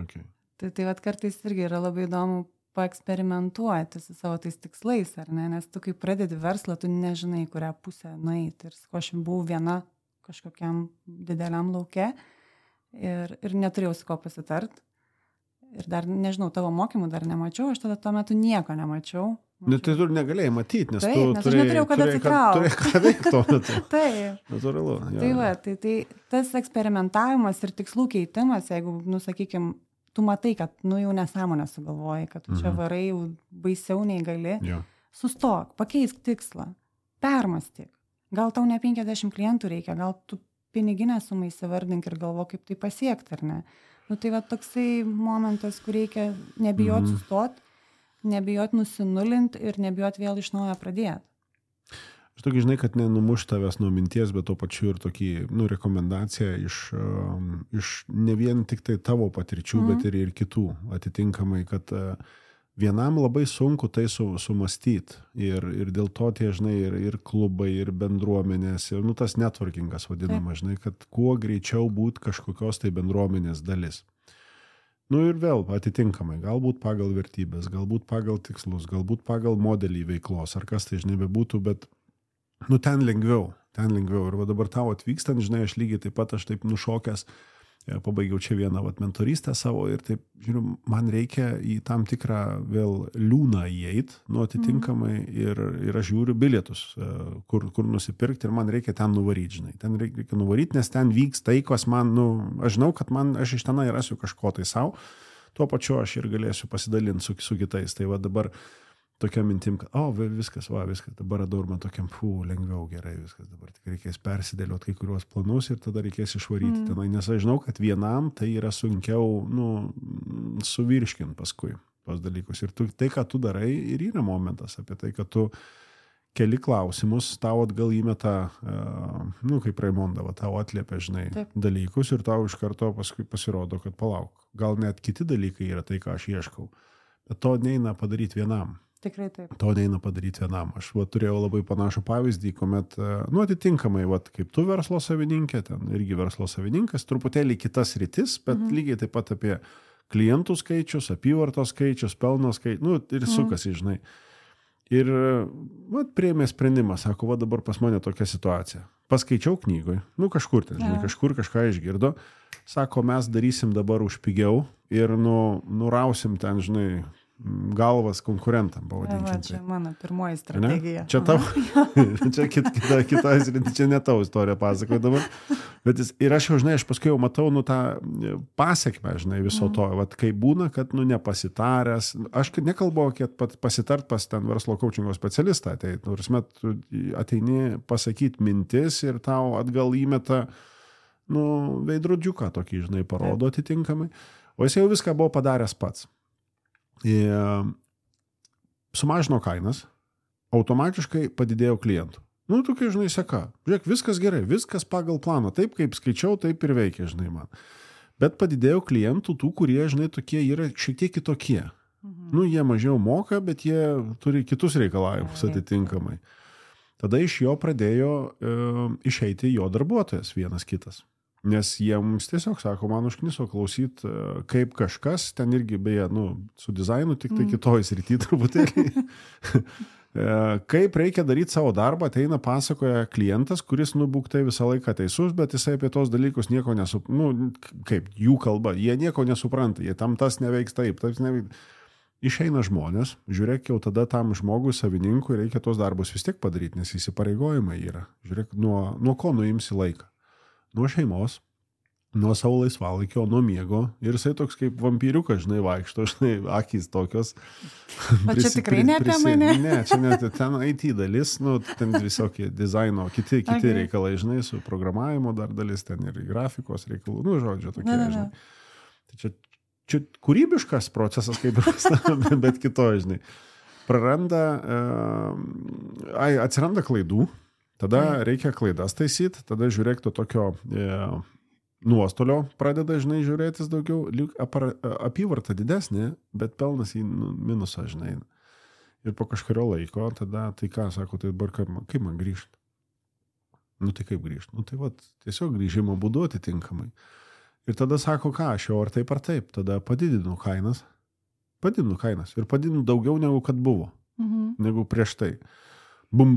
Okay. Tai kartais irgi yra labai įdomu paeksperimentuoti su savo tais tikslais, ar ne? Nes tu kai pradedi verslą, tu nežinai, kurią pusę nueiti. Ir aš buvau viena kažkokiam dideliam lauke. Ir neturėjau su ko pasitart. Ir dar, nežinau, tavo mokymų dar nemačiau, aš tada tuo metu nieko nemačiau. Tai tu negalėjai matyti, nes nes aš neturėjau kada atsitraukti. Turėjai ką veikti tuo metu. Taip. Natūralu. Tai tas eksperimentavimas ir tikslų keitimas, jeigu, sakykim, tu matai, kad, jau nesąmonę sugalvoji, kad tu čia varai jau baisiau nei gali, sustok, pakeisk tikslą, permąstyk. Gal tau ne 50 klientų reikia, gal tu piniginę sumą įsivardink ir galvo, kaip tai pasiekti, ar ne? Nu, tai va toksai momentas, kur reikia nebijot sustot, nebijot nusinulinti ir nebijot vėl iš naujo pradėti. Aš tokį žinai, kad nenumuš tavęs nuo minties, bet to pačiu ir tokį, rekomendaciją iš ne vien tik tai tavo patirčių, bet ir kitų atitinkamai, kad vienam labai sunku tai sumastyti ir dėl to tie, žinai, ir klubai, ir bendruomenės, ir tas networkingas vadinama, žinai, kad kuo greičiau būt kažkokios tai bendruomenės dalis. Ir vėl atitinkamai, galbūt pagal vertybės, galbūt pagal tikslus, galbūt pagal modelį veiklos, ar kas tai, žinai, bebūtų, bet ten lengviau. Ir va dabar tau atvykstant, žinai, aš lygiai taip pat, aš taip nušokęs, pabaigiau čia vieną vatmentorystę savo ir taip, žiūriu, man reikia į tam tikrą vėl liūną įeit, atitinkamai ir aš žiūriu bilietus, kur nusipirkti ir man reikia ten nuvaryti, žinai. Ten reikia nuvaryti, nes ten vyks tai, kas man, aš žinau, kad aš iš tenai rasiu kažko tai savo, tuo pačiu aš ir galėsiu pasidalinti su kitais. Tai va dabar tokia mintim, kad viskas, dabar radau ir man tokiam, lengviau, gerai, viskas, dabar tik reikės persidėlioti kai kuriuos planus ir tada reikės išvaryti tenai, nes aš žinau, kad vienam tai yra sunkiau, suvirškinti paskui tos dalykus. Ir tai, ką tu darai, ir yra momentas apie tai, kad tu keli klausimus, tau atgal įmeta, kaip Raimonda, tau atliepia, žinai, dalykus ir tau iš karto paskui pasirodo, kad palauk, gal net kiti dalykai yra tai, ką aš ieškau, bet to neina padaryti vienam. Tikrai taip. To neina padaryti vienam. Aš turėjau labai panašų pavyzdį, kuomet, atitinkamai, kaip tu verslo savininkė, ten irgi verslo savininkas, truputėlį kitas rytis, bet lygiai taip pat apie klientų skaičius, apyvartos skaičius, pelno skaičius, ir sukasi, žinai. Ir priėmė sprendimą, sako, dabar pas mane tokia situacija. Paskaičiau knygoj, kažkur ten, žinai, kažkur kažką išgirdo, sako, mes darysim dabar už pigiau ir nurausim ten, žinai, galvas konkurentam, pavadinkim. Čia mano pirmoji strategija. Ne? Čia tau, čia čia ne tavo istorija pasakoju dabar. Bet ir aš jau, žinai, aš paskui jau matau, tą pasekmę, žinai, viso to. Kai būna, kad, nepasitaręs, aš nekalbu, kad pasitart pas ten verslo coachingo specialistą, tai, tu ateini pasakyti mintis ir tau atgal įmeta, veidrodžiuką tokį, žinai, parodo atitinkamai. O jis jau viską buvo padaręs pats. Sumažino kainas, automatiškai padidėjo klientų. Tokia, žinai, seka. Žiūrėk, viskas gerai, viskas pagal planą. Taip, kaip skaičiau, taip ir veikia, žinai, man. Bet padidėjo klientų tų, kurie, žinai, tokie yra šiek tiek kitokie. Jie mažiau moka, bet jie turi kitus reikalavimus atitinkamai. Tada iš jo pradėjo išeiti jo darbuotojas vienas kitas. Nes jie mums tiesiog sako, man užkniso klausyti, kaip kažkas, ten irgi beje, su dizainu, tik tai kitoj srity truputėlį. Kaip reikia daryti savo darbą, ateina pasakoja klientas, kuris būktai visą laiką teisus, bet jisai apie tos dalykus nieko kaip jų kalba, jie nieko nesupranta, jie tam tas neveiks taip neveiks. Išeina žmonės, žiūrėk, jau tada tam žmogui, savininkui reikia tos darbus vis tiek padaryti, nes įsipareigojimai yra. Žiūrėk, nuo ko nuimsi laiką. Nuo šeimos, nuo savo laisvalaikio, nuo miego. Ir jisai toks kaip vampyriukas, žinai, vaikšto, žinai, akys tokios. O čia tikrai ne apie mane? Ne, čia net ten IT dalis, ten visokie dizaino, kiti reikalai, žinai, su programavimo dar dalis, ten ir grafikos reikalų, žodžiu, tokie, žinai. Tai čia kūrybiškas procesas, kaip ir bet kito, žinai. Atsiranda klaidų. Tada reikia klaidas taisyti, tada žiūrėk to tokio nuostolio pradeda, žinai, žiūrėtis daugiau, apyvarta didesnė, bet pelnas į minusą, žinai. Ir po kažkurio laiko, tada, tai ką, sako, tai dabar kaip man grįžti? Tai kaip grįžti? Tai tiesiog grįžimo būdu atitinkamai. Ir tada sako, ką, aš jau ar taip, tada padidinu kainas ir padidinu daugiau negu kad buvo, negu prieš tai. Bum,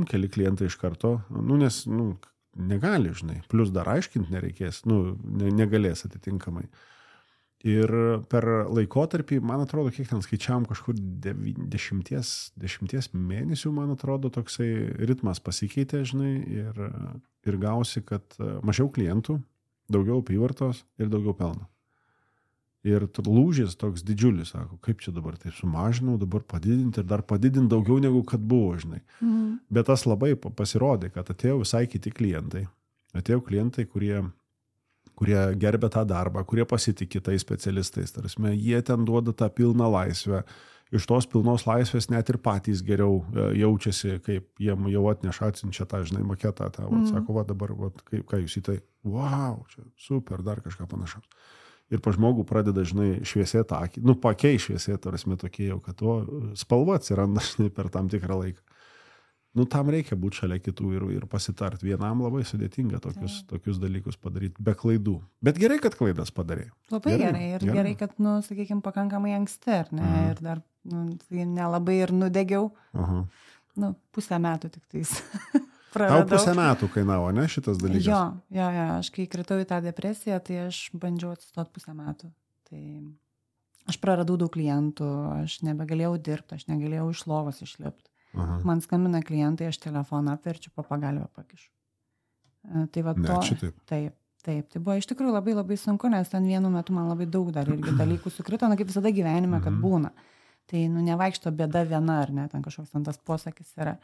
keli klientai iš karto, nes, negali, žinai, plus dar aiškinti nereikės, negalės atitinkamai. Ir per laikotarpį, man atrodo, kiek ten skaičiavom kažkur 10 mėnesių, man atrodo, toksai ritmas pasikeitė, žinai, ir gausi, kad mažiau klientų, daugiau apyvartos ir daugiau pelno. Ir lūžis toks didžiulis, sako, kaip čia dabar taip sumažinau, dabar padidinti ir dar padidinti daugiau negu kad buvo, žinai. Bet tas labai pasirodė, kad atėjo visai kiti klientai. Atėjo klientai, kurie gerbė tą darbą, kurie pasitikė tais specialistais. Tarsi, jie ten duoda tą pilną laisvę. Iš tos pilnos laisvės net ir patys geriau jaučiasi, kaip jiem jau atneša atsinčia tą, žinai, maketą. Sako, va dabar, ką jūs į tai, wow, čia super, dar kažką panašaus. Ir pa žmogų pradeda, žinai, šviesėti akį, pakei šviesėti, tarsi tokie jau, kad spalva atsiranda, žinai, per tam tikrą laiką. Tam reikia būti šalia kitų ir pasitart. Vienam labai sudėtinga tokius dalykus padaryti, be klaidų. Bet gerai, kad klaidas padarė. Labai gerai. Ir gerai, kad, sakykime, pakankamai anksti, ar ne? Ir dar, nelabai ir nudegiau. Pusę metų tik tais. Tau pusę metų kainavo, ne, šitas dalykas? Jo, aš kai kritau į tą depresiją, tai aš bandžiau atsistoti pusę metų. Tai aš praradau daug klientų, aš nebegalėjau dirbti, aš negalėjau iš lovos išlipti. Man skambina klientai, aš telefoną apverčiu, po pagalvę pakišu. Tai va taip, tai buvo iš tikrųjų labai labai sunku, nes ten vienu metu man labai daug dar irgi dalykų sukrito, kaip visada gyvenime, kad būna. Tai nevaikšto bėda viena, ar ne, ten kažkoks tas posakis yra.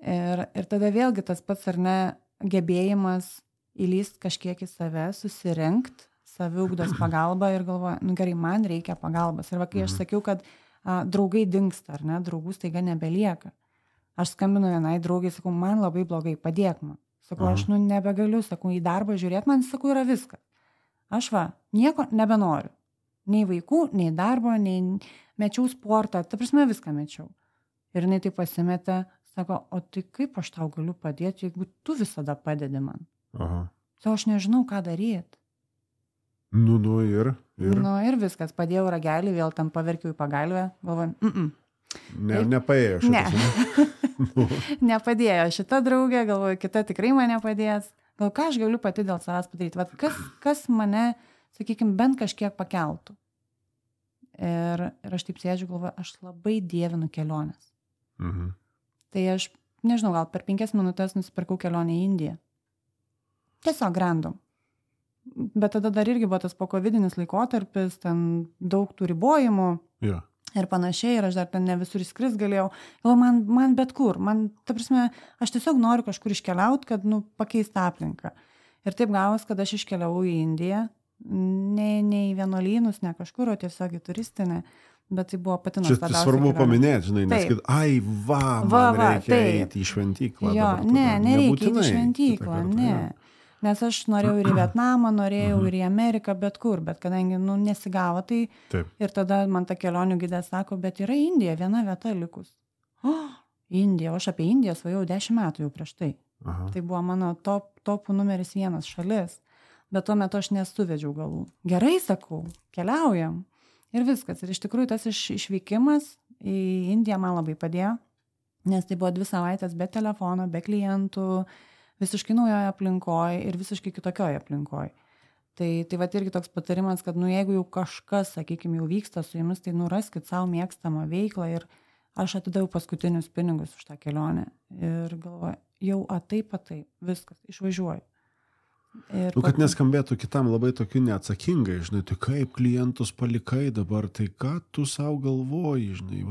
Ir tada vėlgi tas pats, ar ne, gebėjimas įlyst kažkiek į save, susirinkti, saviugdos pagalbą ir galvoja, gerai, man reikia pagalbos. Ir va, kai aš sakiau, kad draugai dingsta, ar ne, draugų staiga nebelieka. Aš skambinu vienai draugai, sakau, man labai blogai, padėk man. Sakau, aš nebegaliu, sakau, į darbą žiūrėti, man, sakau, yra viskas. Aš nieko nebenoriu. Nei vaikų, nei darbo, nei mečiau sportą, ta prasme viską mečiau. Ir jinai tai pasimetė, sako, o tai kaip aš tau galiu padėti, jeigu tu visada padedi man? Sako, aš nežinau, ką daryti. Ir? Ir viskas, padėjau ragelį, vėl tam paverkiau į pagalvę, galvoju, Nepaėjo šitas. Nepadėjo šita draugė, galvoju, kita tikrai man nepadės. Gal ką aš galiu pati dėl savęs padaryti? Vat kas mane, sakykime, bent kažkiek pakeltų. Ir aš taip sėdžiu, galvoju, aš labai dievinu keliones. Tai aš, nežinau, gal per 5 minutės nusipirkau kelionę į Indiją. Tiesiog random. Bet tada dar irgi buvo tas pokovidinis laikotarpis, ten daug tų ribojimų ir panašiai, ir aš dar ten ne visur įskris galėjau. Man bet kur, ta prasme, aš tiesiog noriu kažkur iškeliauti, kad, pakeisti aplinką. Ir taip gavos, kad aš iškeliavau į Indiją, ne į vienuolynus, ne kažkur, o tiesiog į turistinę. Bet tai buvo pati nuostabiausia. Čia svarbu paminėti, žinai, nes kad, man reikia eiti į šventyklą. Jo, nereikia eiti į šventyklą, ne. Nes aš norėjau ir į Vietnamą, norėjau ir į Ameriką, bet kur, bet kadangi, nesigavo, tai ir tada man ta kelionių gidė sako, bet yra Indija, viena vieta likus. Indija, aš apie Indiją svajau 10 metų jau prieš tai. Tai buvo mano topų numeris 1 šalis, bet tuo metu aš nesuvedžiau galų. Gerai, sakau, keliaujam. Ir viskas. Ir iš tikrųjų tas išvykimas į Indiją man labai padėjo, nes tai buvo 2 savaitės be telefono, be klientų, visiškai naujoje aplinkoje ir visiškai kitokioje aplinkoje. Tai va irgi toks patarimas, kad jeigu jau kažkas, sakykime, jau vyksta su jumis, tai raskit savo mėgstamą veiklą ir aš atidaviau paskutinius pinigus už tą kelionę ir galvoju, jau taip, viskas, išvažiuoju. Kad neskambėtų kitam labai tokiu neatsakingai, žinai, tai kaip klientus palikai dabar, tai ką tu savo galvoji, žinai,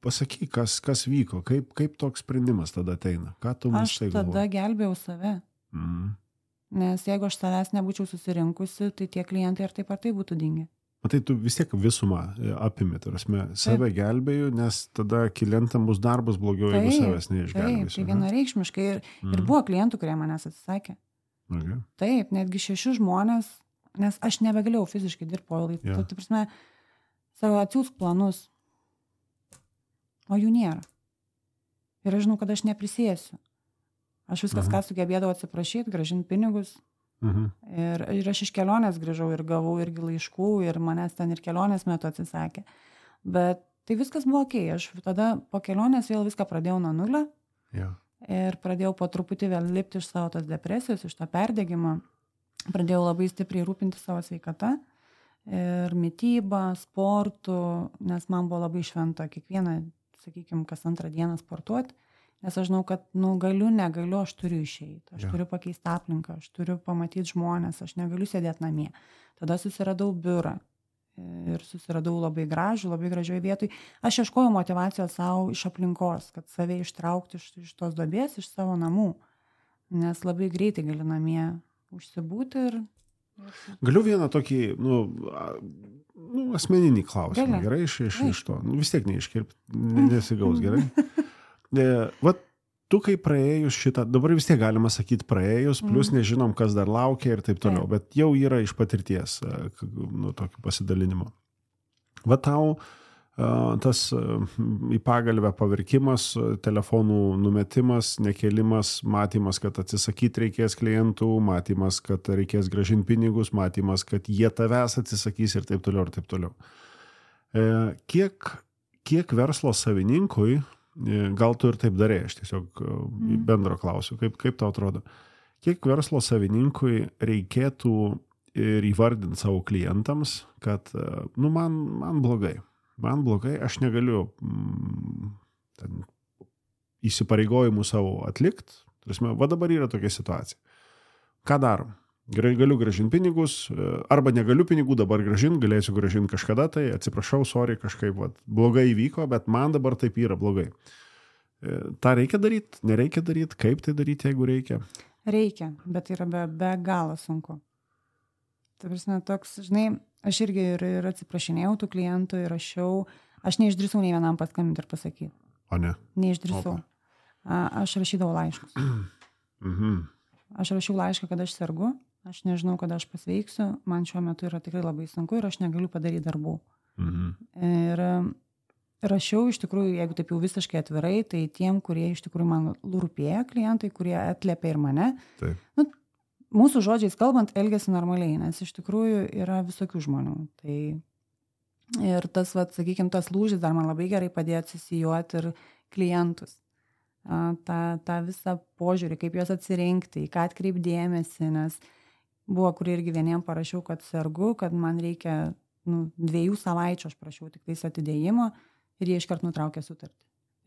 pasakyk, kas vyko, kaip toks sprendimas tada ateina, ką tu mus tai galvoji? Aš tada gelbėjau save, nes jeigu aš savęs nebūčiau susirinkusi, tai tie klientai ar taip būtų dingę. Matai, tu vis tiek visumą apimi, save gelbėjau, nes tada klientam bus darbas blogiau, jeigu savęs neišgelbėsiu. Tai vienareikšmiškai ir buvo klientų, kurie manęs atsisakė. Taip, netgi 6 žmonės, nes aš nebegalėjau fiziškai dirbti po laikų. Tai prasme, savo atsiųsk planus, o jų nėra. Ir aš žinau, kad aš neprisėsiu. Aš viskas, ką sugebėdavau atsiprašyti, gražinti pinigus. Ir aš iš kelionės grįžau ir gavau irgi laiškų ir manęs ten ir kelionės metu atsisakė. Bet tai viskas buvo okei. Aš tada po kelionės vėl viską pradėjau nuo nulio ir pradėjau po truputį vėl lipti iš savo tos depresijos, iš to perdegimo. Pradėjau labai stipriai rūpinti savo sveikata ir mitybą, sportų, nes man buvo labai šventa kiekvieną, sakykime, kas 2 dieną sportuoti. Nes aš žinau, kad, negaliu, aš turiu išeiti, aš turiu pakeisti aplinką, aš turiu pamatyti žmonės, aš negaliu sėdėti namie. Tada susiradau biurą ir susiradau labai gražioje vietoj. Aš ieškojau motivacijos savo iš aplinkos, kad save ištraukti iš tos duobės, iš savo namų, nes labai greitai gali namie užsibūti ir... Galiu vieną tokį, asmeninį klausimą, gerai, iš to. Vis tiek neiškirpti, nesigaus, gerai. Vat tu, kai praėjus šitą, dabar vis tiek galima sakyti praėjus, plus nežinom, kas dar laukia ir taip toliau, bet jau yra iš patirties tokio pasidalinimo. Va tau tas į pagalbę pavirkimas, telefonų numetimas, nekėlimas, matymas, kad atsisakyti reikės klientų, matymas, kad reikės grąžinti pinigus, matymas, kad jie tavęs atsisakys ir taip toliau, ir taip toliau. Kiek verslo savininkui, gal tu ir taip darė, aš tiesiog bendro klausiu, kaip tau atrodo, kiek verslo savininkui reikėtų ir įvardinti savo klientams, kad man blogai, aš negaliu įsipareigojimų savo atlikti, va dabar yra tokia situacija. Ką darom? Galiu grąžinti pinigus, arba negaliu pinigų dabar grąžinti, galėsiu grąžinti kažkada, tai atsiprašau, sorry, kažkaip blogai įvyko, bet man dabar taip yra blogai. Ta reikia daryti, nereikia daryti, kaip tai daryti, jeigu reikia? Reikia, bet yra be galo sunku. Tai prasme, toks, žinai, aš irgi ir atsiprašinėjau tų klientų ir aš neišdrįsau nei vienam paskambinti ir pasakyti. O ne? Neišdrįsau. Aš rašydavau laiškus. Aš rašiau laišką, kad aš sergu, aš nežinau, kada aš pasveiksiu, man šiuo metu yra tikrai labai sunku ir aš negaliu padaryti darbų. Ir rašiau iš tikrųjų, jeigu taip jau visiškai atvirai, tai tiem, kurie iš tikrųjų man rūpėjo, klientai, kurie atliepia ir mane. Taip. Mūsų žodžiais kalbant, elgiasi normaliai, nes iš tikrųjų yra visokių žmonių. Tai ir tas, sakykime, tas lūžis dar man labai gerai padėjo atsisijuoti ir klientus. tą visą požiūrį, kaip juos atsirinkti, į ką atkreipdėmėsi, nes buvo, kur irgi vieniem parašiau, kad sergu, kad man reikia 2 savaičių, aš prašiau tik tais atidėjimo ir jie iškart nutraukė sutartį.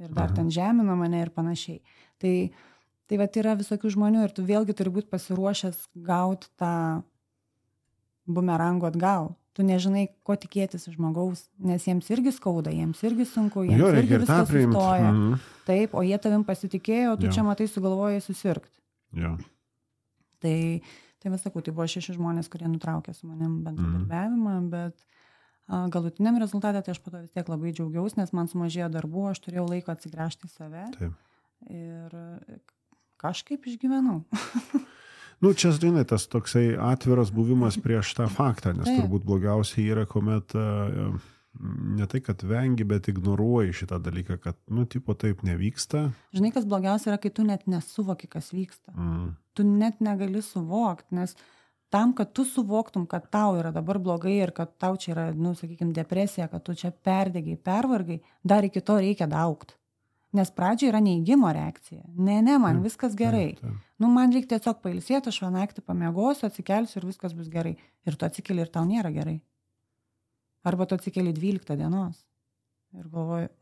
Ir dar ten žemino mane ir panašiai. Tai vat yra visokių žmonių ir tu vėlgi turi būti pasiruošęs gauti tą bumerangų atgal. Tu nežinai, ko tikėtis iš žmogaus, nes jiems irgi skauda, jiems irgi sunku, jiems irgi viskas sustoja. Taip, o jie tavim pasitikėjo, tu čia matai sugalvojai susirgti. Tai vis sakau, tai buvo 6 žmonės, kurie nutraukė su manim bendradarbiavimą, bet galutiniam rezultatė, tai aš po to vis tiek labai džiaugiausi, nes man sumažėjo darbų, aš turėjau laiko atsigręžti į save. Taip. Ir kažkaip išgyvenau. Čia, žinai, tas toksai atviras buvimas prieš tą faktą, nes turbūt blogiausiai yra, kuomet ne tai, kad vengi, bet ignoruoji šitą dalyką, kad, tipo, taip nevyksta. Žinai, kas blogiausia yra, kai tu net nesuvoki, kas vyksta. Tu net negali suvokti, nes tam, kad tu suvoktum, kad tau yra dabar blogai ir kad tau čia yra, sakykime, depresija, kad tu čia perdegiai, pervargai, dar iki to reikia daugti. Nes pradžioje yra neigimo reakcija. Ne, man viskas gerai. Man reikia tiesiog pailsėti, aš vieną naktį pamiegosiu, atsikelsiu ir viskas bus gerai. Ir tu atsikeli ir tau nėra gerai. Arba tu atsikeli 12 dienos. Ir galvoju,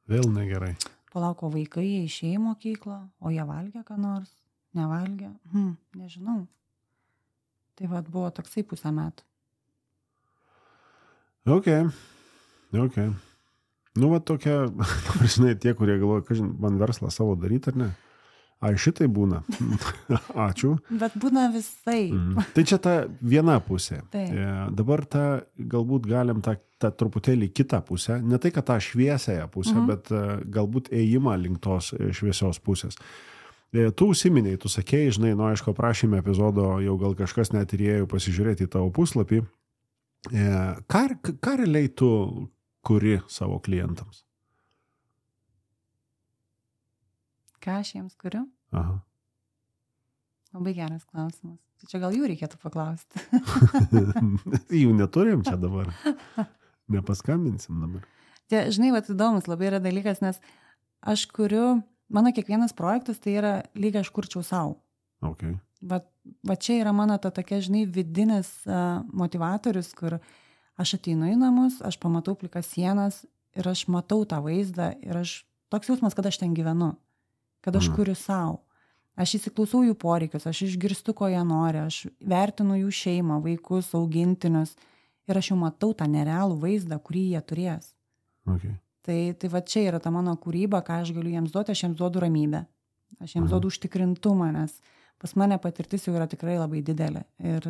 Vėl negerai. Palauko vaikai, jie išėjo į mokyklą, o jie valgė ką nors, nevalgė, nežinau. Tai vat buvo toksai 1,5 metų. Ok. Tokia, žinai, tie, kurie galvoja, kažin, man verslą savo daryti ar ne? Šitai būna. Ačiū. Bet būna visai. Tai čia ta viena pusė. Dabar galbūt galim tą truputėlį kitą pusę, ne tai, kad tą šviesiąją pusę, bet galbūt ėjimą link tos šviesios pusės. Tu užsiminiai, tu sakėjai, žinai, aišku, prašėme epizodo, jau gal kažkas net ir ėjo pasižiūrėti į tavo puslapį. Ką realiai tu kuri savo klientams? Ką aš jiems kuriu? Labai geras klausimas. Tai čia gal jų reikėtų paklausti. Jų neturim čia dabar. Nepaskambinsim dabar. Žinai, įdomus labai yra dalykas, nes aš kuriu, mano kiekvienas projektas tai yra lyg aš kurčiau savo. Okay. Va čia yra mano ta tokia, žinai, vidinis motivatorius, kur aš ateinu į namus, aš pamatau plikas sienas ir aš matau tą vaizdą ir toks jausmas, kad aš ten gyvenu. kad aš kuriu savo. Aš įsiklausau jų poreikius, aš išgirstu, ko jie nori, aš vertinu jų šeimą, vaikus, augintinius ir aš jau matau tą nerealų vaizdą, kurį jie turės. Okay. Tai va čia yra ta mano kūryba, ką aš galiu jiems duoti, aš jiems duodu ramybę. Aš jiems duodu užtikrintumą, nes pas mane patirtis jau yra tikrai labai didelė. Ir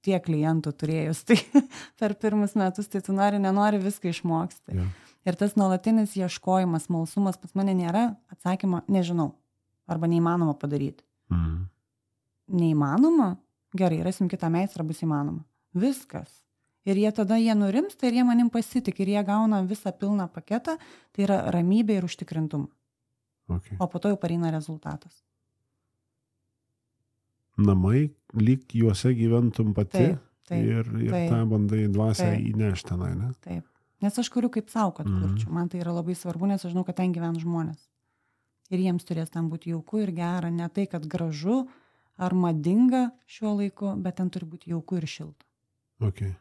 tiek klientų turėjus, tai per pirmus metus, tai tu nenori viską išmoksti. Yeah. Ir tas nuolatinis ieškojimas, smalsumas pas mane nėra atsakymo, nežinau, arba neįmanoma padaryti. Neįmanoma? Gerai, rasim kitą meistrą, bus įmanoma. Viskas. Ir jie tada nurimsta ir jie manim pasitik ir jie gauna visą pilną paketą, tai yra ramybė ir užtikrintumą. Okay. O po to jau pareina rezultatas. Namai, lyg juose gyventum pati taip, ir tą bandai dvasią įnešti tenai, ne? Taip. Nes aš kuriu kaip savo, kad kurčiau. Man tai yra labai svarbu, nes aš žinau, kad ten gyvena žmonės. Ir jiems turės ten būti jauku ir gera. Ne tai, kad gražu ar madinga šiuo laiku, bet ten turi būti jauku ir šilta. Okay.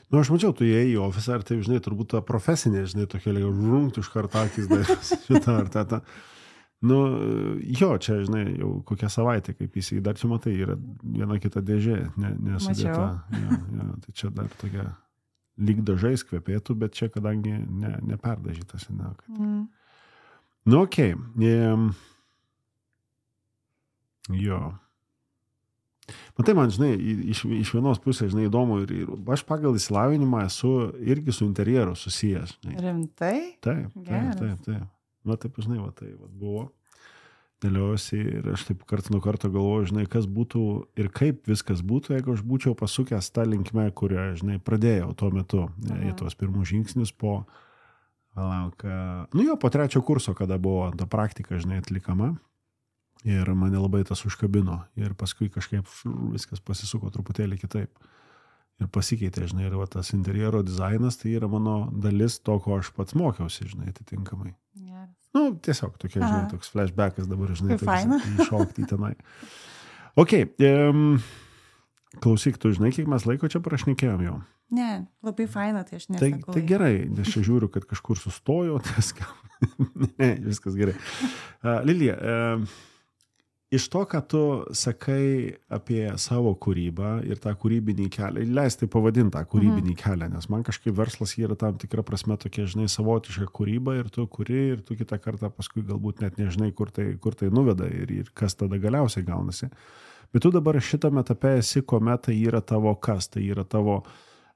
Nu, aš mačiau, tu įėjai į ofisą ir tai, žinai, turbūt ta profesinė, žinai, tokia žrungt iš karto akis darysi šitą ar tą. Nu, jo, čia, žinai, jau kokią savaitę, kaip jis dar čia matai, yra viena kita dėžė, nesudėta. Ja, tai čia dar tokia lyg dažais kvepėtų, bet čia, kadangi neperdažytas. Nu, okei. Jo. Matai, man, žinai, iš vienos pusės, žinai, įdomu ir aš pagal išsilavinimą esu irgi su interjeru susijęs. Žinai. Rimtai? Taip. Na, taip, žinai, tai buvo. Dėliausi ir aš taip karts nuo karto galvoju, žinai, kas būtų ir kaip viskas būtų, jeigu aš būčiau pasukęs tą linkmę, kurią, žinai, pradėjau tuo metu. Į tuos pirmus žingsnius po trečio kurso, kada buvo ta praktika, žinai, atlikama. Ir mane labai tas užkabino. Ir paskui kažkaip viskas pasisuko truputėlį kitaip. Ir pasikeitė, žinai, ir va, tas interjero dizainas, tai yra mano dalis to, ko aš pats mokiausi, žinai, atitinkamai. Yes. Nu, tiesiog tokia, žinai, toks flashbackas dabar, žinai, iššokti į tenai. Ok, klausyk, tu žinai, kiek mes laiko čia prašnekėjom jau? Ne, labai faina, tai aš nesakau. Tai gerai, nes čia žiūriu, kad kažkur sustojo, ne, viskas gerai. Lilija, iš to, ką tu sakai apie savo kūrybą ir tą kūrybinį kelią, leis tai pavadinti tą kūrybinį kelią, nes man kažkaip verslas yra tam tikra prasme tokia, žinai, savotiška kūryba ir tu kuri ir tu kitą kartą paskui galbūt net nežinai, kur tai nuveda ir kas tada galiausiai gaunasi. Bet tu dabar šitame etape esi, kuomet tai yra tavo kas, tai yra tavo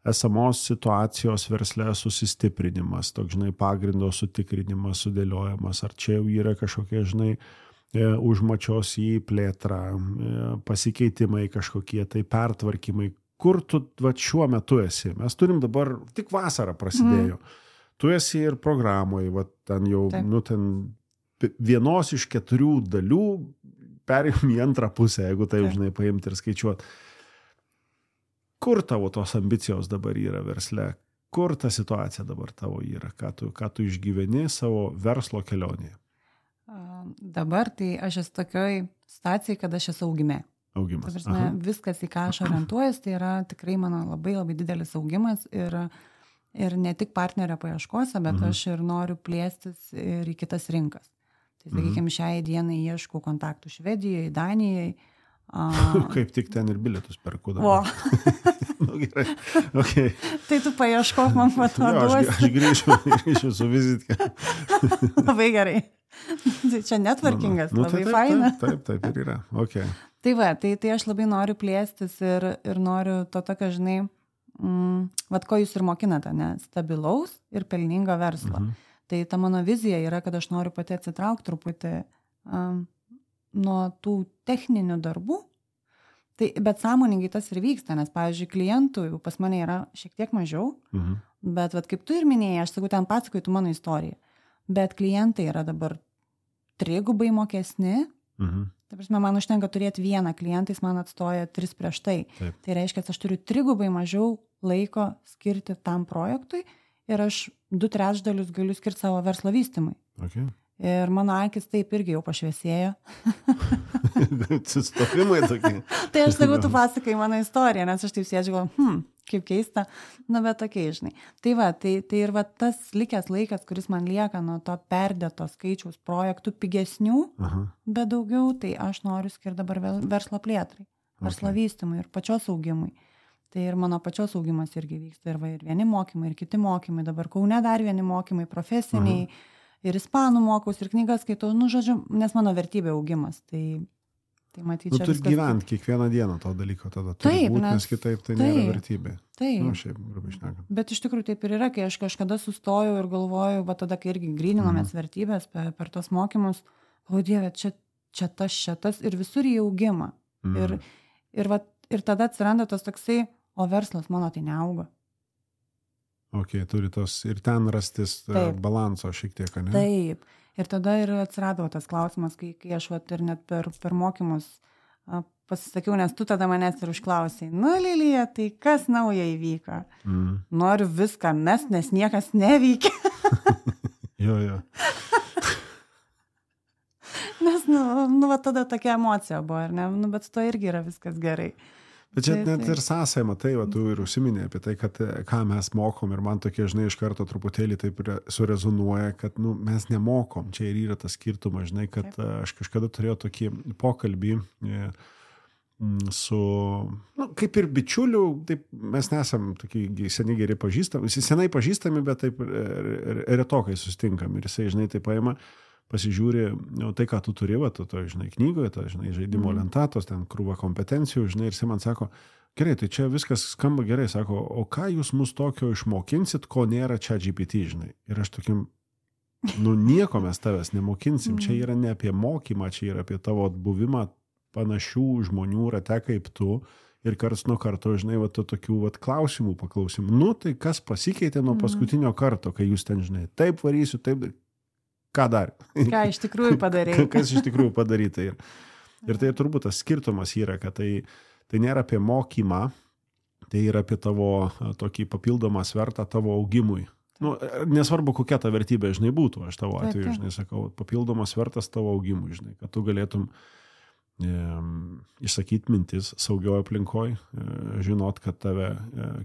esamos situacijos versle susistiprinimas, toks, žinai, pagrindo sutikrinimas, sudėliojimas, ar čia jau yra kažkokie, žinai, užmačios į plėtrą, pasikeitimai kažkokie, tai pertvarkymai. Kur tu šiuo metu esi? Mes turim dabar, tik vasarą prasidėjo. Tu esi ir programoje, ten jau, ten vienos iš 4 dalių perėjom į antrą pusę, jeigu tai, žinai, paimti ir skaičiuoti. Kur tavo tos ambicijos dabar yra versle? Kur ta situacija dabar tavo yra? Ką tu išgyveni savo verslo kelionėje? Dabar tai aš esu tokioj situacijai, kad aš esu augime. Augimas. Prasme, viskas, į ką aš orientuojas, tai yra tikrai mano labai labai didelis augimas ir ne tik partnerio paieškose, bet aš ir noriu plėstis ir į kitas rinkas. Tai, sakykime, šiai dienai ieškau kontaktų Švedijoje, Danijoje. Kaip tik ten ir bilietus perku dabar. Nu, gerai. Okay. Tai tu paieškok, man patoduosi. Aš grįšiu su vizitkė. Labai gerai. Tai čia networkingas, labai faina. Taip ir yra. Okay. Tai va, tai aš labai noriu plėstis ir noriu to tokio, žinai, ko jūs ir mokinate, ne? Stabilaus ir pelningo verslo. Tai ta mano vizija yra, kad aš noriu pati atsitraukti truputį nuo tų techninių darbų. Tai, bet sąmoningai tas ir vyksta, nes, pavyzdžiui, klientų pas mane yra šiek tiek mažiau, bet kaip tu ir minėjai, aš sakau, ten pasakoju tu mano istoriją. Bet klientai yra dabar 3 mokesni. Tai prasme, man užtenka turėti vieną klientą, jis man atstoja 3 prieš tai. Taip. Tai reiškia, kad aš turiu 3 mažiau laiko skirti tam projektui ir aš 2/3 galiu skirti savo verslo vystymui. Okay. Ir mano akis taip irgi jau pašviesėjo. Atsistovimai tokie. Tai aš sakau, tu pasakai mano istoriją, nes aš taip sėdžiu, kaip keista, bet tokiai, žinai. Tai va, tai ir va tas likęs laikas, kuris man lieka nuo to perdėto skaičiaus projektų pigesnių, bet daugiau, tai aš noriu skirti dabar verslo plėtrai, verslo vystymui ir pačios augimui. Tai ir mano pačios augimas irgi vyksta, ir vieni mokymai, ir kiti mokymai, dabar Kaune dar vieni mokymai, profesiniai, ir ispanų mokaus, ir knygas skaitau, žodžiu, nes mano vertybė augimas, tai matyt, čia turi gyventi kiekvieną dieną to dalyko tada. Taip, nes kitaip tai nėra vertybė. Taip. Šiaip, grubiai šnekant. Bet iš tikrųjų taip ir yra, kai aš kažkada sustojau ir galvoju, va tada, kai irgi gryninomės vertybės per tos mokymus, o Dieve, čia tas ir visur į augimą. Ir tada atsiranda tas toksai, o verslas mano tai neauga. Ok, turi tos ir ten rastis balanso šiek tiek, ne? Taip. Ir tada ir atsirado tas klausimas, kai aš ir net per mokymus pasisakiau, nes tu tada manęs ir užklausai, Lilija, tai kas nauja įvyko? Noriu viską mest, nes niekas neveikia. Jo. Nes, va tada tokia emocija buvo, ar ne? Bet su to irgi yra viskas gerai. Bet čia net ir sąsai, matai, va, tu ir užsiminė apie tai, kad ką mes mokom ir man tokie, žinai, iš karto truputėlį taip surezonuoja, kad mes nemokom. Čia ir yra tas skirtumas, žinai, kad aš kažkada turėjau tokį pokalbį su, kaip ir bičiulių, taip mes nesam tokie seniai geri pažįstami, senai pažįstami, bet taip retokai susitinkam ir jisai, žinai, taip paima, pasižiūri, tai, ką tu turi, tu žinai, knygoje, žinai, žaidimo lentatos, ten krūva kompetencijų, žinai, ir jis man sako, gerai, tai čia viskas skamba gerai, sako, o ką jūs mus tokio išmokinsit, ko nėra ChatGPT, žinai. Ir aš tokim, nieko mes tavęs nemokinsim, čia yra ne apie mokymą, čia yra apie tavo buvimą panašių žmonių rate kaip tu ir karts nuo karto, žinai, tokių klausimų paklausim. Tai kas pasikeitė nuo paskutinio karto, kai jūs ten, žinai, taip varysiu, taip... Ką dar? Ką iš tikrųjų padarė. Kas iš tikrųjų padaryta. Ir tai turbūt tas skirtumas yra, kad tai nėra apie mokymą, tai yra apie tavo tokį papildomą svertą tavo augimui. Nesvarbu, kokia ta vertybė, žinai, būtų. Aš tavo atveju, žinai, sakau, papildomas svertas tavo augimui, žinai, kad tu galėtum išsakyti mintis saugioje aplinkoje, žinot, kad tave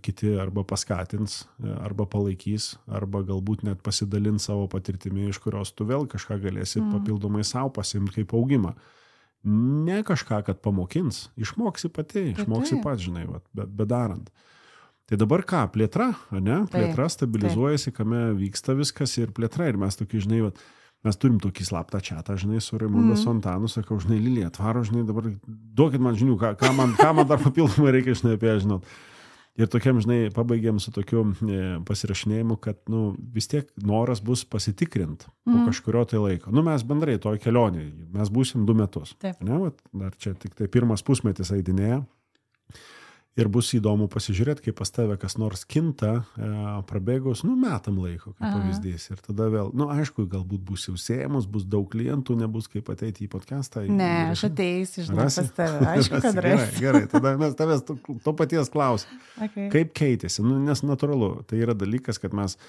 kiti arba paskatins, arba palaikys, arba galbūt net pasidalins savo patirtimi, iš kurios tu vėl kažką galėsi papildomai savo pasimti kaip augimą. Ne kažką, kad pamokins, išmoksi pati, išmoksi pats, žinai, bet darant. Tai dabar ką, plėtra, ne? Plėtra stabilizuojasi, kame vyksta viskas ir plėtra ir mes tokį, žinai, mes turim tokį slaptą čatą, žinai, su Raimonda Sontanu, sakau, žinai, Lilija, atvaro, žinai, dabar duokit man žinių, ką man dar papildomai reikia, žinai, apie ją žinot. Ir tokiam, žinai, pabaigėm su tokiu pasirašinėjimu, kad, vis tiek noras bus pasitikrinti po kažkurio tai laiko. Mes bendrai toj kelionėje, mes būsim 2 metus. Taip. Ne, dar čia tik tai pirmas pusmetis eidinėja. Ir bus įdomu pasižiūrėti, kaip pas tave kas nors kinta, prabėgus, metam laiko, kaip pavyzdys. Ir tada vėl, aišku, galbūt bus jau sėjimus, bus daug klientų, nebus kaip ateiti į podcastą. Ne, aš ateisiu, žinau, pas tave. Aišku, kad rasi. Gerai, tada mes tavęs to paties klausim. Okay. Kaip keitėsi? Nes natūralu, tai yra dalykas, kad mes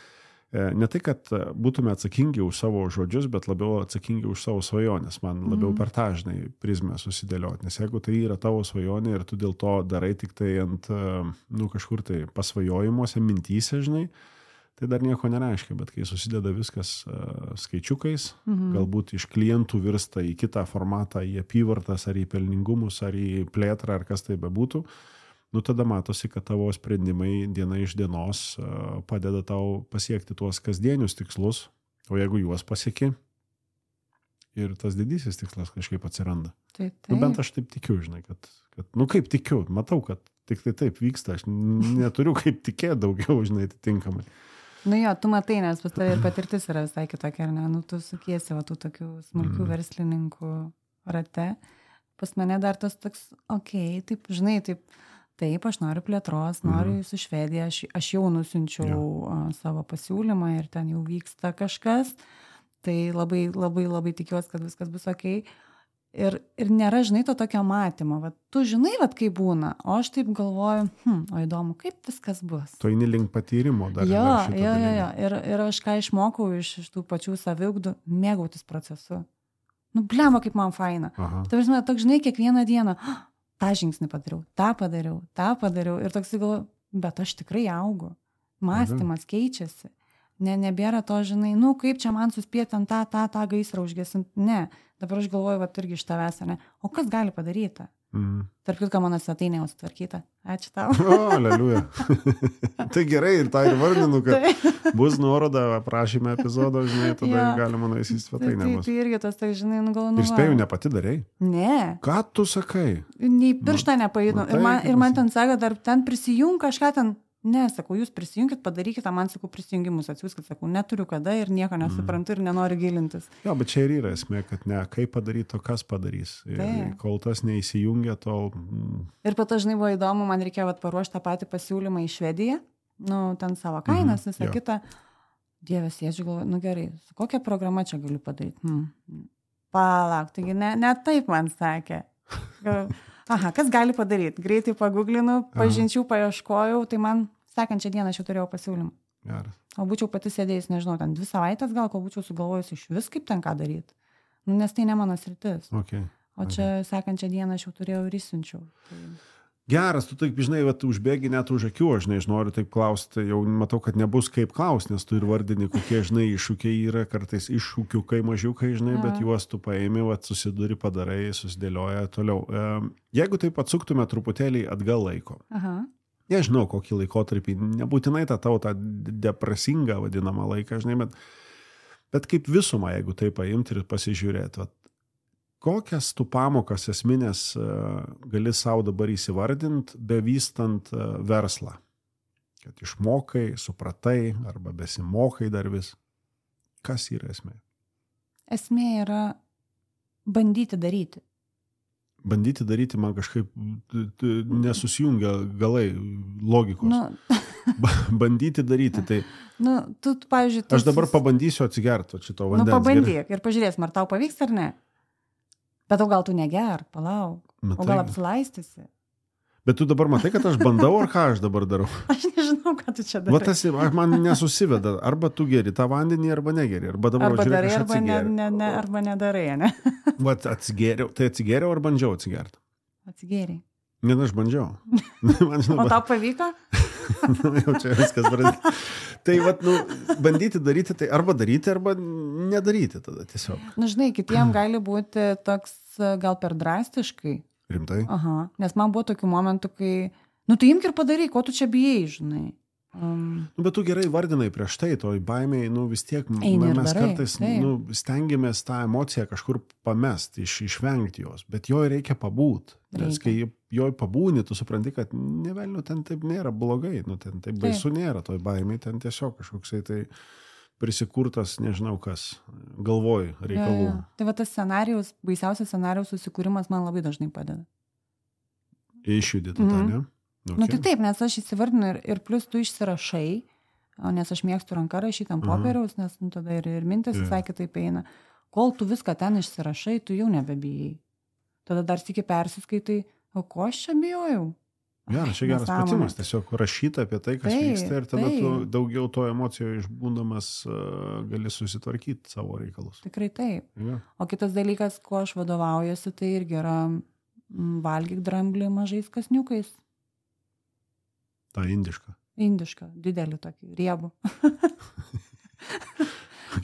ne tai, kad būtume atsakingi už savo žodžius, bet labiau atsakingi už savo svajonės. Man labiau per tą, žinai, prizmę susidėlioti. Nes jeigu tai yra tavo svajonė ir tu dėl to darai tik tai ant, kažkur tai pasvajojimuose, mintyse, žinai, tai dar nieko nereiškia. Bet kai susideda viskas skaičiukais, galbūt iš klientų virsta į kitą formatą, į apyvartas, ar į pelningumus, ar į plėtrą, ar kas tai bebūtų, tada matosi, kad tavo sprendimai diena iš dienos padeda tau pasiekti tuos kasdienius tikslus, o jeigu juos pasieki, ir tas didysis tikslas kažkaip atsiranda. Taip. Bent aš taip tikiu, žinai, kad kaip tikiu, matau, kad tik tai taip vyksta, aš neturiu kaip tikėti daugiau, žinai, atitinkamai. Tu matai, nes pas tave ir patirtis yra visai kitokia, ar ne? Tu sukiesi tų tokių smulkių verslininkų rate. Pas mane dar tas toks, taip, žinai, taip, aš noriu plėtros, noriu su Švedija, aš jau nusiunčiau savo pasiūlymą ir ten jau vyksta kažkas, tai labai, labai, labai tikiuosi, kad viskas bus ok. Ir nėra, žinai, to tokio matymo. Tu žinai, kaip būna, o aš taip galvoju, o įdomu, kaip viskas bus. Tu eini link patyrimo dar. Jo. Ir aš ką išmokau iš tų pačių saviugdų, mėgautis procesu. Blemba, kaip man faina. Ta prasme, toks, žinai, kiekvieną dieną, tą žingsnį padariau, tą padariau. Ir toks galvoju, bet aš tikrai augu. Mąstymas keičiasi. Nebėra to, žinai, kaip čia man suspėti ant tą gaisrą užgesinti. Ne, dabar aš galvoju, va, irgi iš tavęs, ne? O kas gali padaryti? Tarp kitko, mano svetainė jau sutvarkyta. Ačiū tau. O, aleliuja. Tai gerai, ir tą ir vardinu, kad bus nuoroda aprašyme epizodo, žinai, tada galima nueisi į svetainę. Tai irgi tas, tai, žinai, galvoju. Ir spėjau, ne pati darei? Ne. Ką tu sakai? Nei pirštą nepajudinu. Ir man ten sako, dar ten prisijung kažką ten. Ne, sakau, jūs prisijunkit, padarykite, man sakau, prisijungimus atsiųskit, sakau, neturiu kada ir nieko nesuprantu ir nenoriu gilintis. Jo, bet čia ir yra esmė, kad ne, kaip padaryti, o kas padarys. Ir kol tas neįsijungia, tol... Ir po to, žinai, buvo įdomu, man reikėjo paruošti tą patį pasiūlymą į Švediją, ten savo kainas, visą kitą. Dievas, sėdžiu, galvoju, gerai, su kokia programa čia galiu padaryti? Palauk, taigi ne taip man sakė. Aha, kas gali padaryti? Greitai pagooglinu, pažinčių paieškojau, tai man sekančią dieną aš jau turėjau pasiūlymą. Geras. O būčiau pati sėdėjus, nežinau, ten 2 savaitės gal, kol būčiau sugalvojus iš vis, kaip ten ką daryti. Nes tai ne mano sritis. Okay. O čia sekančią dieną aš jau turėjau ir įsiunčiau. Tai... Geras, tu taip, žinai, užbėgi net už akių, aš noriu taip klausti, jau matau, kad nebus kaip klausti, nes tu ir vardini, kokie, žinai, iššūkiai yra, kartais iššūkiukai mažiukai, žinai, bet juos tu paimi, susiduri, padarai, susidėlioja toliau. Jeigu taip atsuktume truputėlį atgal laiko, nežinau, kokį laikotarpį, nebūtinai tą depresingą vadinamą laiką, žinai, bet kaip visumą, jeigu taip paimti ir pasižiūrėti, kokias tu pamokas esminės gali savo dabar įsivardinti, bevystant verslą? Kad išmokai, supratai arba besimokai dar vis. Kas yra esmė? Esmė yra bandyti daryti. Bandyti daryti man kažkaip nesusijungia galai logikos. Bandyti daryti, tai... tu, pavyzdžiui... Aš dabar pabandysiu atsigerti šito vandens. Pabandyk ir pažiūrėsim, ar tau pavyks ar ne. Bet gal tu neger, palauk. O gal apsilaistysi? Bet tu dabar matai, kad aš bandau, ar ką aš dabar darau? Aš nežinau, ką tu čia darai. Man nesusiveda. Arba tu geri tą vandenį, arba negeri. Arba darai, arba nedarai, ne? Atsigėriau. Tai atsigėriau ar bandžiau atsigerti? Atsigėriai. Ne, aš bandžiau. O tau pavyko? Jau čia viskas pradėti. Tai bandyti daryti, tai arba daryti, arba nedaryti tada tiesiog. Žinai, kitiem gali būti toks gal per drastiškai. Rimtai? Aha, nes man buvo tokių momentų, kai, tai imk ir padaryk, ko tu čia bijai, žinai. Bet tu gerai vardinai prieš tai, toj baimiai, vis tiek mes kartais stengiamės tą emociją kažkur pamesti, išvengti jos, bet jo reikia pabūt. Nes kai joj pabūni, tu supranti, kad nevelniu, ten taip nėra blogai, ten taip baisu nėra toj baimiai, ten tiesiog kažkoksai tai prisikurtas, nežinau kas, galvoj reikalų. Tai va tas scenarijus, baisiausias scenarijus susikūrimas man labai dažnai padeda. Išjudėti tą, ne? Okay. Tai taip, nes aš įsivardinu ir plus tu išsirašai, nes aš mėgstu ranką rašyti ant popieriaus, nes tada ir mintis visai kitaip eina. Kol tu viską ten išsirašai, tu jau nebebijai. Tada dar sykį persiskaitai, o ko aš čia bijojau? Geras, čia geras pratimas, tiesiog rašyti apie tai, kas vyksta ir tada tu daugiau to emocijoje išbūdamas gali susitvarkyti savo reikalus. Tikrai taip. O kitas dalykas, kuo aš vadovaujuosi, tai irgi yra valgyk dramblį mažais kasniukais. Ta indiška. Indiška, didelį tokį, riebų.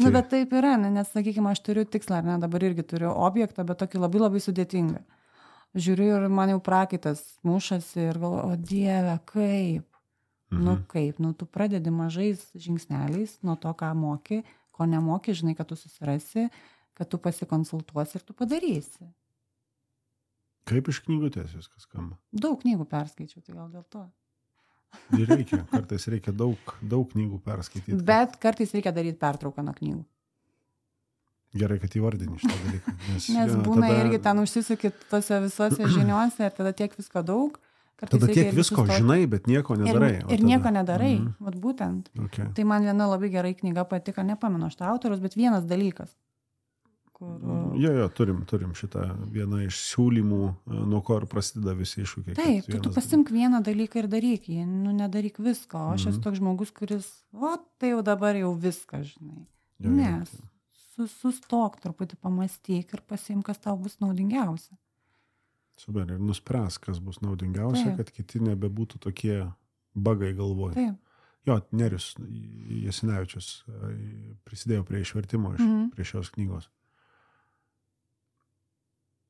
Bet taip yra, nes, sakykime, aš turiu tikslą, ar ne, dabar irgi turiu objektą, bet tokį labai labai sudėtingą. Žiūriu ir man jau prakaitas mušasi ir galvoju, o Dieve, kaip? Kaip? Tu pradedi mažais žingsneliais nuo to, ką moki, ko nemoki, žinai, kad tu susirasi, kad tu pasikonsultuosi ir tu padarysi. Kaip iš knygutės viskas skamba? Daug knygų perskaičiau, tai gal dėl to. Ir reikia, kartais reikia daug knygų perskaityti. Bet kartais reikia daryti pertrauką nuo knygų. Gerai, kad įvardini šitą dalyką. Nes būna irgi ten užsisukit tose visose žiniuose ir tada tiek visko daug. Tada tiek visko žinai, bet nieko nedarai. Ir nieko nedarai, vat būtent. Okay. Tai man viena labai gerai knyga patiko, nepamenu šitą autorius, bet vienas dalykas. Jo, turim šitą vieną iš siūlymų, nuo ko ir prasideda visi iššūkiai. Taip, tu pasimk vieną dalyką ir daryk jį, nedaryk visko. O aš esu toks žmogus, kuris, tai jau dabar jau viską, žinai. Nes sustok truputį, pamastyk ir pasimk, kas tau bus naudingiausia. Super, ir nuspręs, kas bus naudingiausia, kad kiti nebebūtų tokie bagai galvoj. Taip. Jo, Nerius Jasinevičius prisidėjo prie išvertimo prie šios knygos.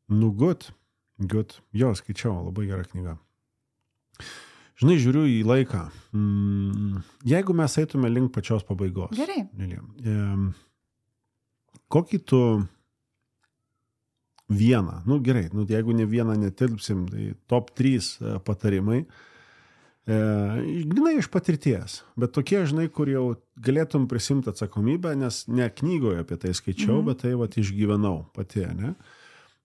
Nu, good. Jo, skaičiau, labai gera knyga. Žinai, žiūriu į laiką. Jeigu mes eitume link pačios pabaigos. Gerai. Kokį tu vieną, gerai, jeigu ne vieną netilpsim, tai top 3 patarimai, grynai iš patirties, bet tokie, žinai, kur jau galėtum prisimti atsakomybę, nes ne knygoje apie tai skaičiau, bet tai išgyvenau pati, ne?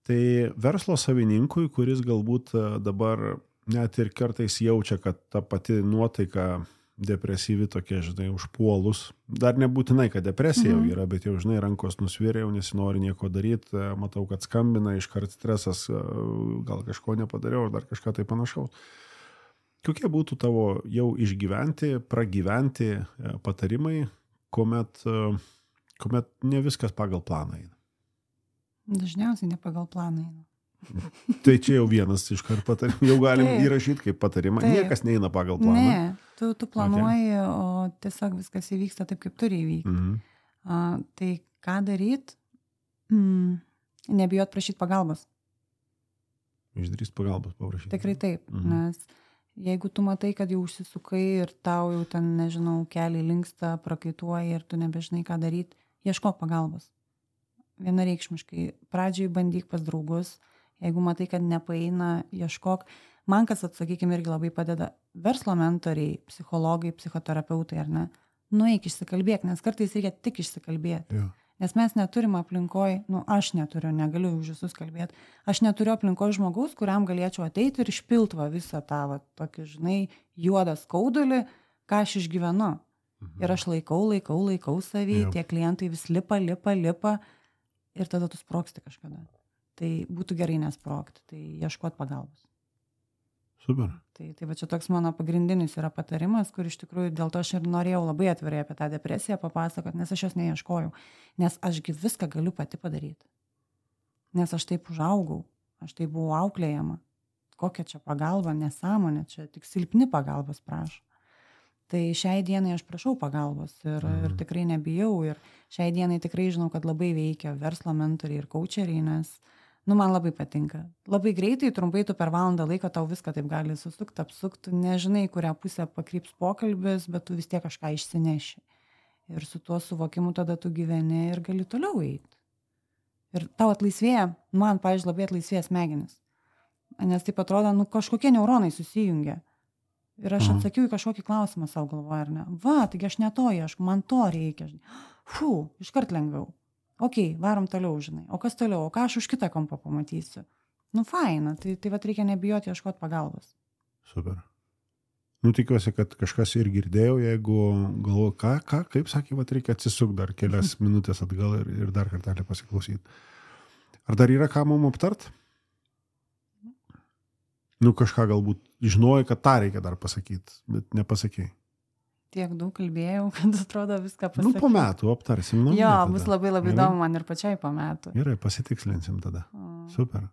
Tai verslo savininkui, kuris galbūt dabar net ir kartais jaučia, kad ta pati nuotaika depresyvi tokia, žinai, užpuolus. Dar nebūtinai, kad depresija jau yra, bet jau, žinai, rankos nusvėrė, jau nesinori nieko daryti, matau, kad skambina, iškart stresas, gal kažko nepadariau, dar kažką tai panašaus. Kokie būtų tavo jau išgyventi, pragyventi patarimai, kuomet ne viskas pagal planą eina? Dažniausiai ne pagal planą eina. Tai čia jau vienas iškart patarimų, jau galim įrašyti kaip patarimą. Niekas neina pagal planą. Ne, tu planuoji, o tiesiog viskas įvyksta taip, kaip turi įvykti. Tai ką daryt? Nebijot prašyti pagalbos. Išdrįst pagalbos paprašyti. Tikrai taip, nes jeigu tu matai, kad jau užsisukai ir tau jau ten, nežinau, keliai linksta, prakaituoja ir tu nebežinai, ką daryti, ieškok pagalbos. Vienareikšmiškai. Pradžiai bandyk pas draugus. Jeigu matai, kad nepaeina, ieškok. Man kas, atsakykime, irgi labai padeda verslo mentoriai, psichologai, psichoterapeutai, ar ne? Nueik išsikalbėk, nes kartais reikia tik išsikalbėti. Ja. Nes mes neturim aplinkoj, aš neturiu, negaliu už visus kalbėti, aš neturiu aplinkoj žmogaus, kuriam galėčiau ateiti ir išpilti visą tą, tokį, žinai, juodą skaudulį, ką aš išgyvenu. Ir aš laikau savį, tie klientai vis lipa ir tada tu sprogsti kažkada. Tai būtų gerai nesprogti, tai ieškot pagalbos. Super. Tai va čia toks mano pagrindinis yra patarimas, kur iš tikrųjų dėl to aš ir norėjau labai atvirai apie tą depresiją papasakot, nes aš jos neieškojau. Nes ašgi viską galiu pati padaryti. Nes aš taip užaugau, aš taip buvau auklėjama. Kokia čia pagalba, nesąmonė, čia tik silpni pagalbos prašo. Tai šiai dienai aš prašau pagalbos ir tikrai nebijau. Ir šiai dienai tikrai žinau, kad labai veikia verslo mentoriai ir coacheriai, nes man labai patinka. Labai greitai, trumpai tu per valandą laiko tau viską taip gali susukti, apsukti, nežinai, kurią pusę pakryps pokalbis, bet tu vis tiek kažką išsineši. Ir su tuo suvokimu tada tu gyveni ir gali toliau eiti. Ir tau atlaisvėja, man, pavyzdžiui, labai atlaisvėja smegenis. Nes taip atrodo, kažkokie neuronai susijungia. Ir aš atsakiau į kažkokį klausimą savo galvoje, ar ne? Taigi aš ne to ieškau, man to reikia. Iškart lengviau. Varom toliau, žinai. O kas toliau? O ką aš už kitą kampą pamatysiu? Faina, tai reikia nebijoti ieškoti pagalbos. Super. Tikiuosi, kad kažkas ir girdėjau, jeigu galvoju, kaip sakė, reikia atsisukti dar kelias minutės atgal ir dar kartelį pasiklausyti. Ar dar yra ką mum aptart? Kažką galbūt žinojai, kad tą reikia dar pasakyti, bet nepasakėjai. Tiek daug kalbėjau, kad atrodo viską pasakyti. Po metų aptarsim. Bus labai įdomu man ir pačiai po metų. Gerai, pasitikslinsim tada. Super.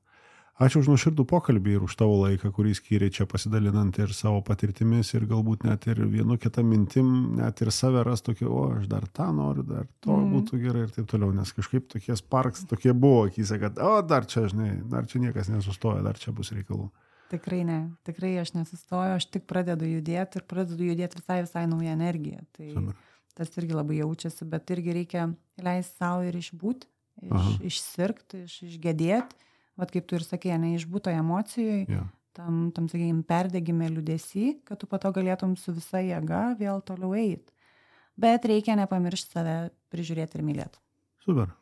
Ačiū už nuoširdų pokalbį ir už tavo laiką, kurį skyrei čia pasidalinant ir savo patirtimis ir galbūt net ir vienu kitą mintim, net ir save ras tokį, aš dar tą noriu, dar to būtų gerai ir taip toliau, nes kažkaip tokie sparks, tokie buvo akyse, kad dar čia, žinai, dar čia niekas nesustoja, dar čia bus reikalų. Tikrai ne, tikrai aš nesustoju, aš tik pradedu judėti ir pradedu judėti visai naują energiją. Tai tas irgi labai jaučiasi, bet irgi reikia leisti savo ir išbūti, išsirgti, išgedėti. Vat kaip tu ir sakei, neišbūto emocijoje, tam sakykime, perdegime liūdesį, kad tu po to galėtum su visa jėga vėl toliau eiti. Bet reikia nepamiršti save prižiūrėti ir mylėti. Super.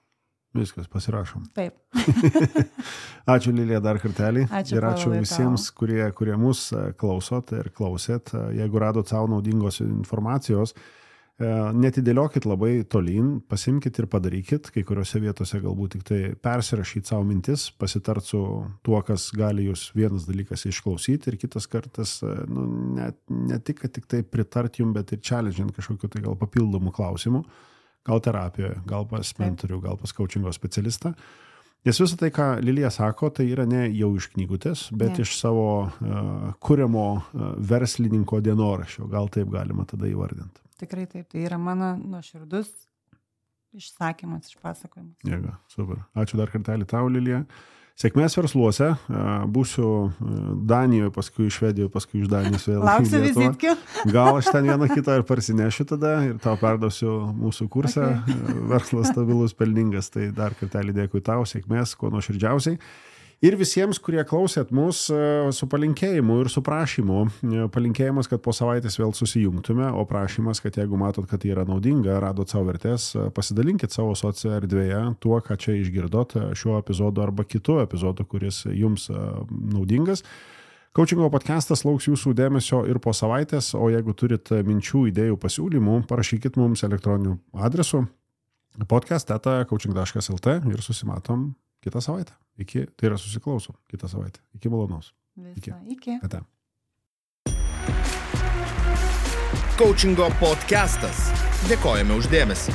Viskas, pasirašom. Taip. Ačiū Lilija dar kartelį. Ačiū, ir ačiū visiems, kurie mus klausot ir klausėt. Jeigu radot savo naudingos informacijos, netidėliokit labai tolyn, pasimkit ir padarykit. Kai kuriuose vietose galbūt tik tai persirašyti savo mintis, pasitart su tuo, kas gali jūs vienas dalykas išklausyti ir kitas kartas, ne tik tai pritart jums, bet ir challengint kažkokiu tai gal papildomų klausimų. Gal terapijoje, gal pas mentorių, gal pas coachingo specialistą. Nes visą tai, ką Lilija sako, tai yra ne jau iš knygutės, bet iš savo kuriamo verslininko dienoraščio. Gal taip galima tada įvardinti. Tikrai taip, tai yra mano nuoširdus išsakymas, išpasakojimas. Jėga, super. Ačiū dar kartelį tau, Lilija. Sėkmės versluose. Būsiu Danijoje, paskui Švedijoje, paskui iš Danijos vėl. Lauksiu vizitkių. Gal aš ten vieną kitą ir parsinešiu tada ir tau perdosiu mūsų kursą. Okay. Verslas stabilus, pelningas. Tai dar kartelį dėkui tau, sėkmės, kuo nuoširdžiausiai. Ir visiems, kurie klausėt mus su palinkėjimu ir su prašymu. Palinkėjimas, kad po savaitės vėl susijungtume, o prašymas, kad jeigu matot, kad tai yra naudinga, radot savo vertės, pasidalinkit savo socio erdvėje tuo, ką čia išgirdot šiuo epizodu arba kitu epizodu, kuris jums naudingas. Coachingo podcastas lauks jūsų dėmesio ir po savaitės, o jeigu turit minčių, idėjų, pasiūlymų, parašykit mums elektroniniu adresu podcast@coaching.lt ir susimatom kitą savaitę. Tai yra susiklausom kitą savaitę. Iki malonaus. Iki. Ate. Coachingo podcastas. Dėkojame už dėmesį.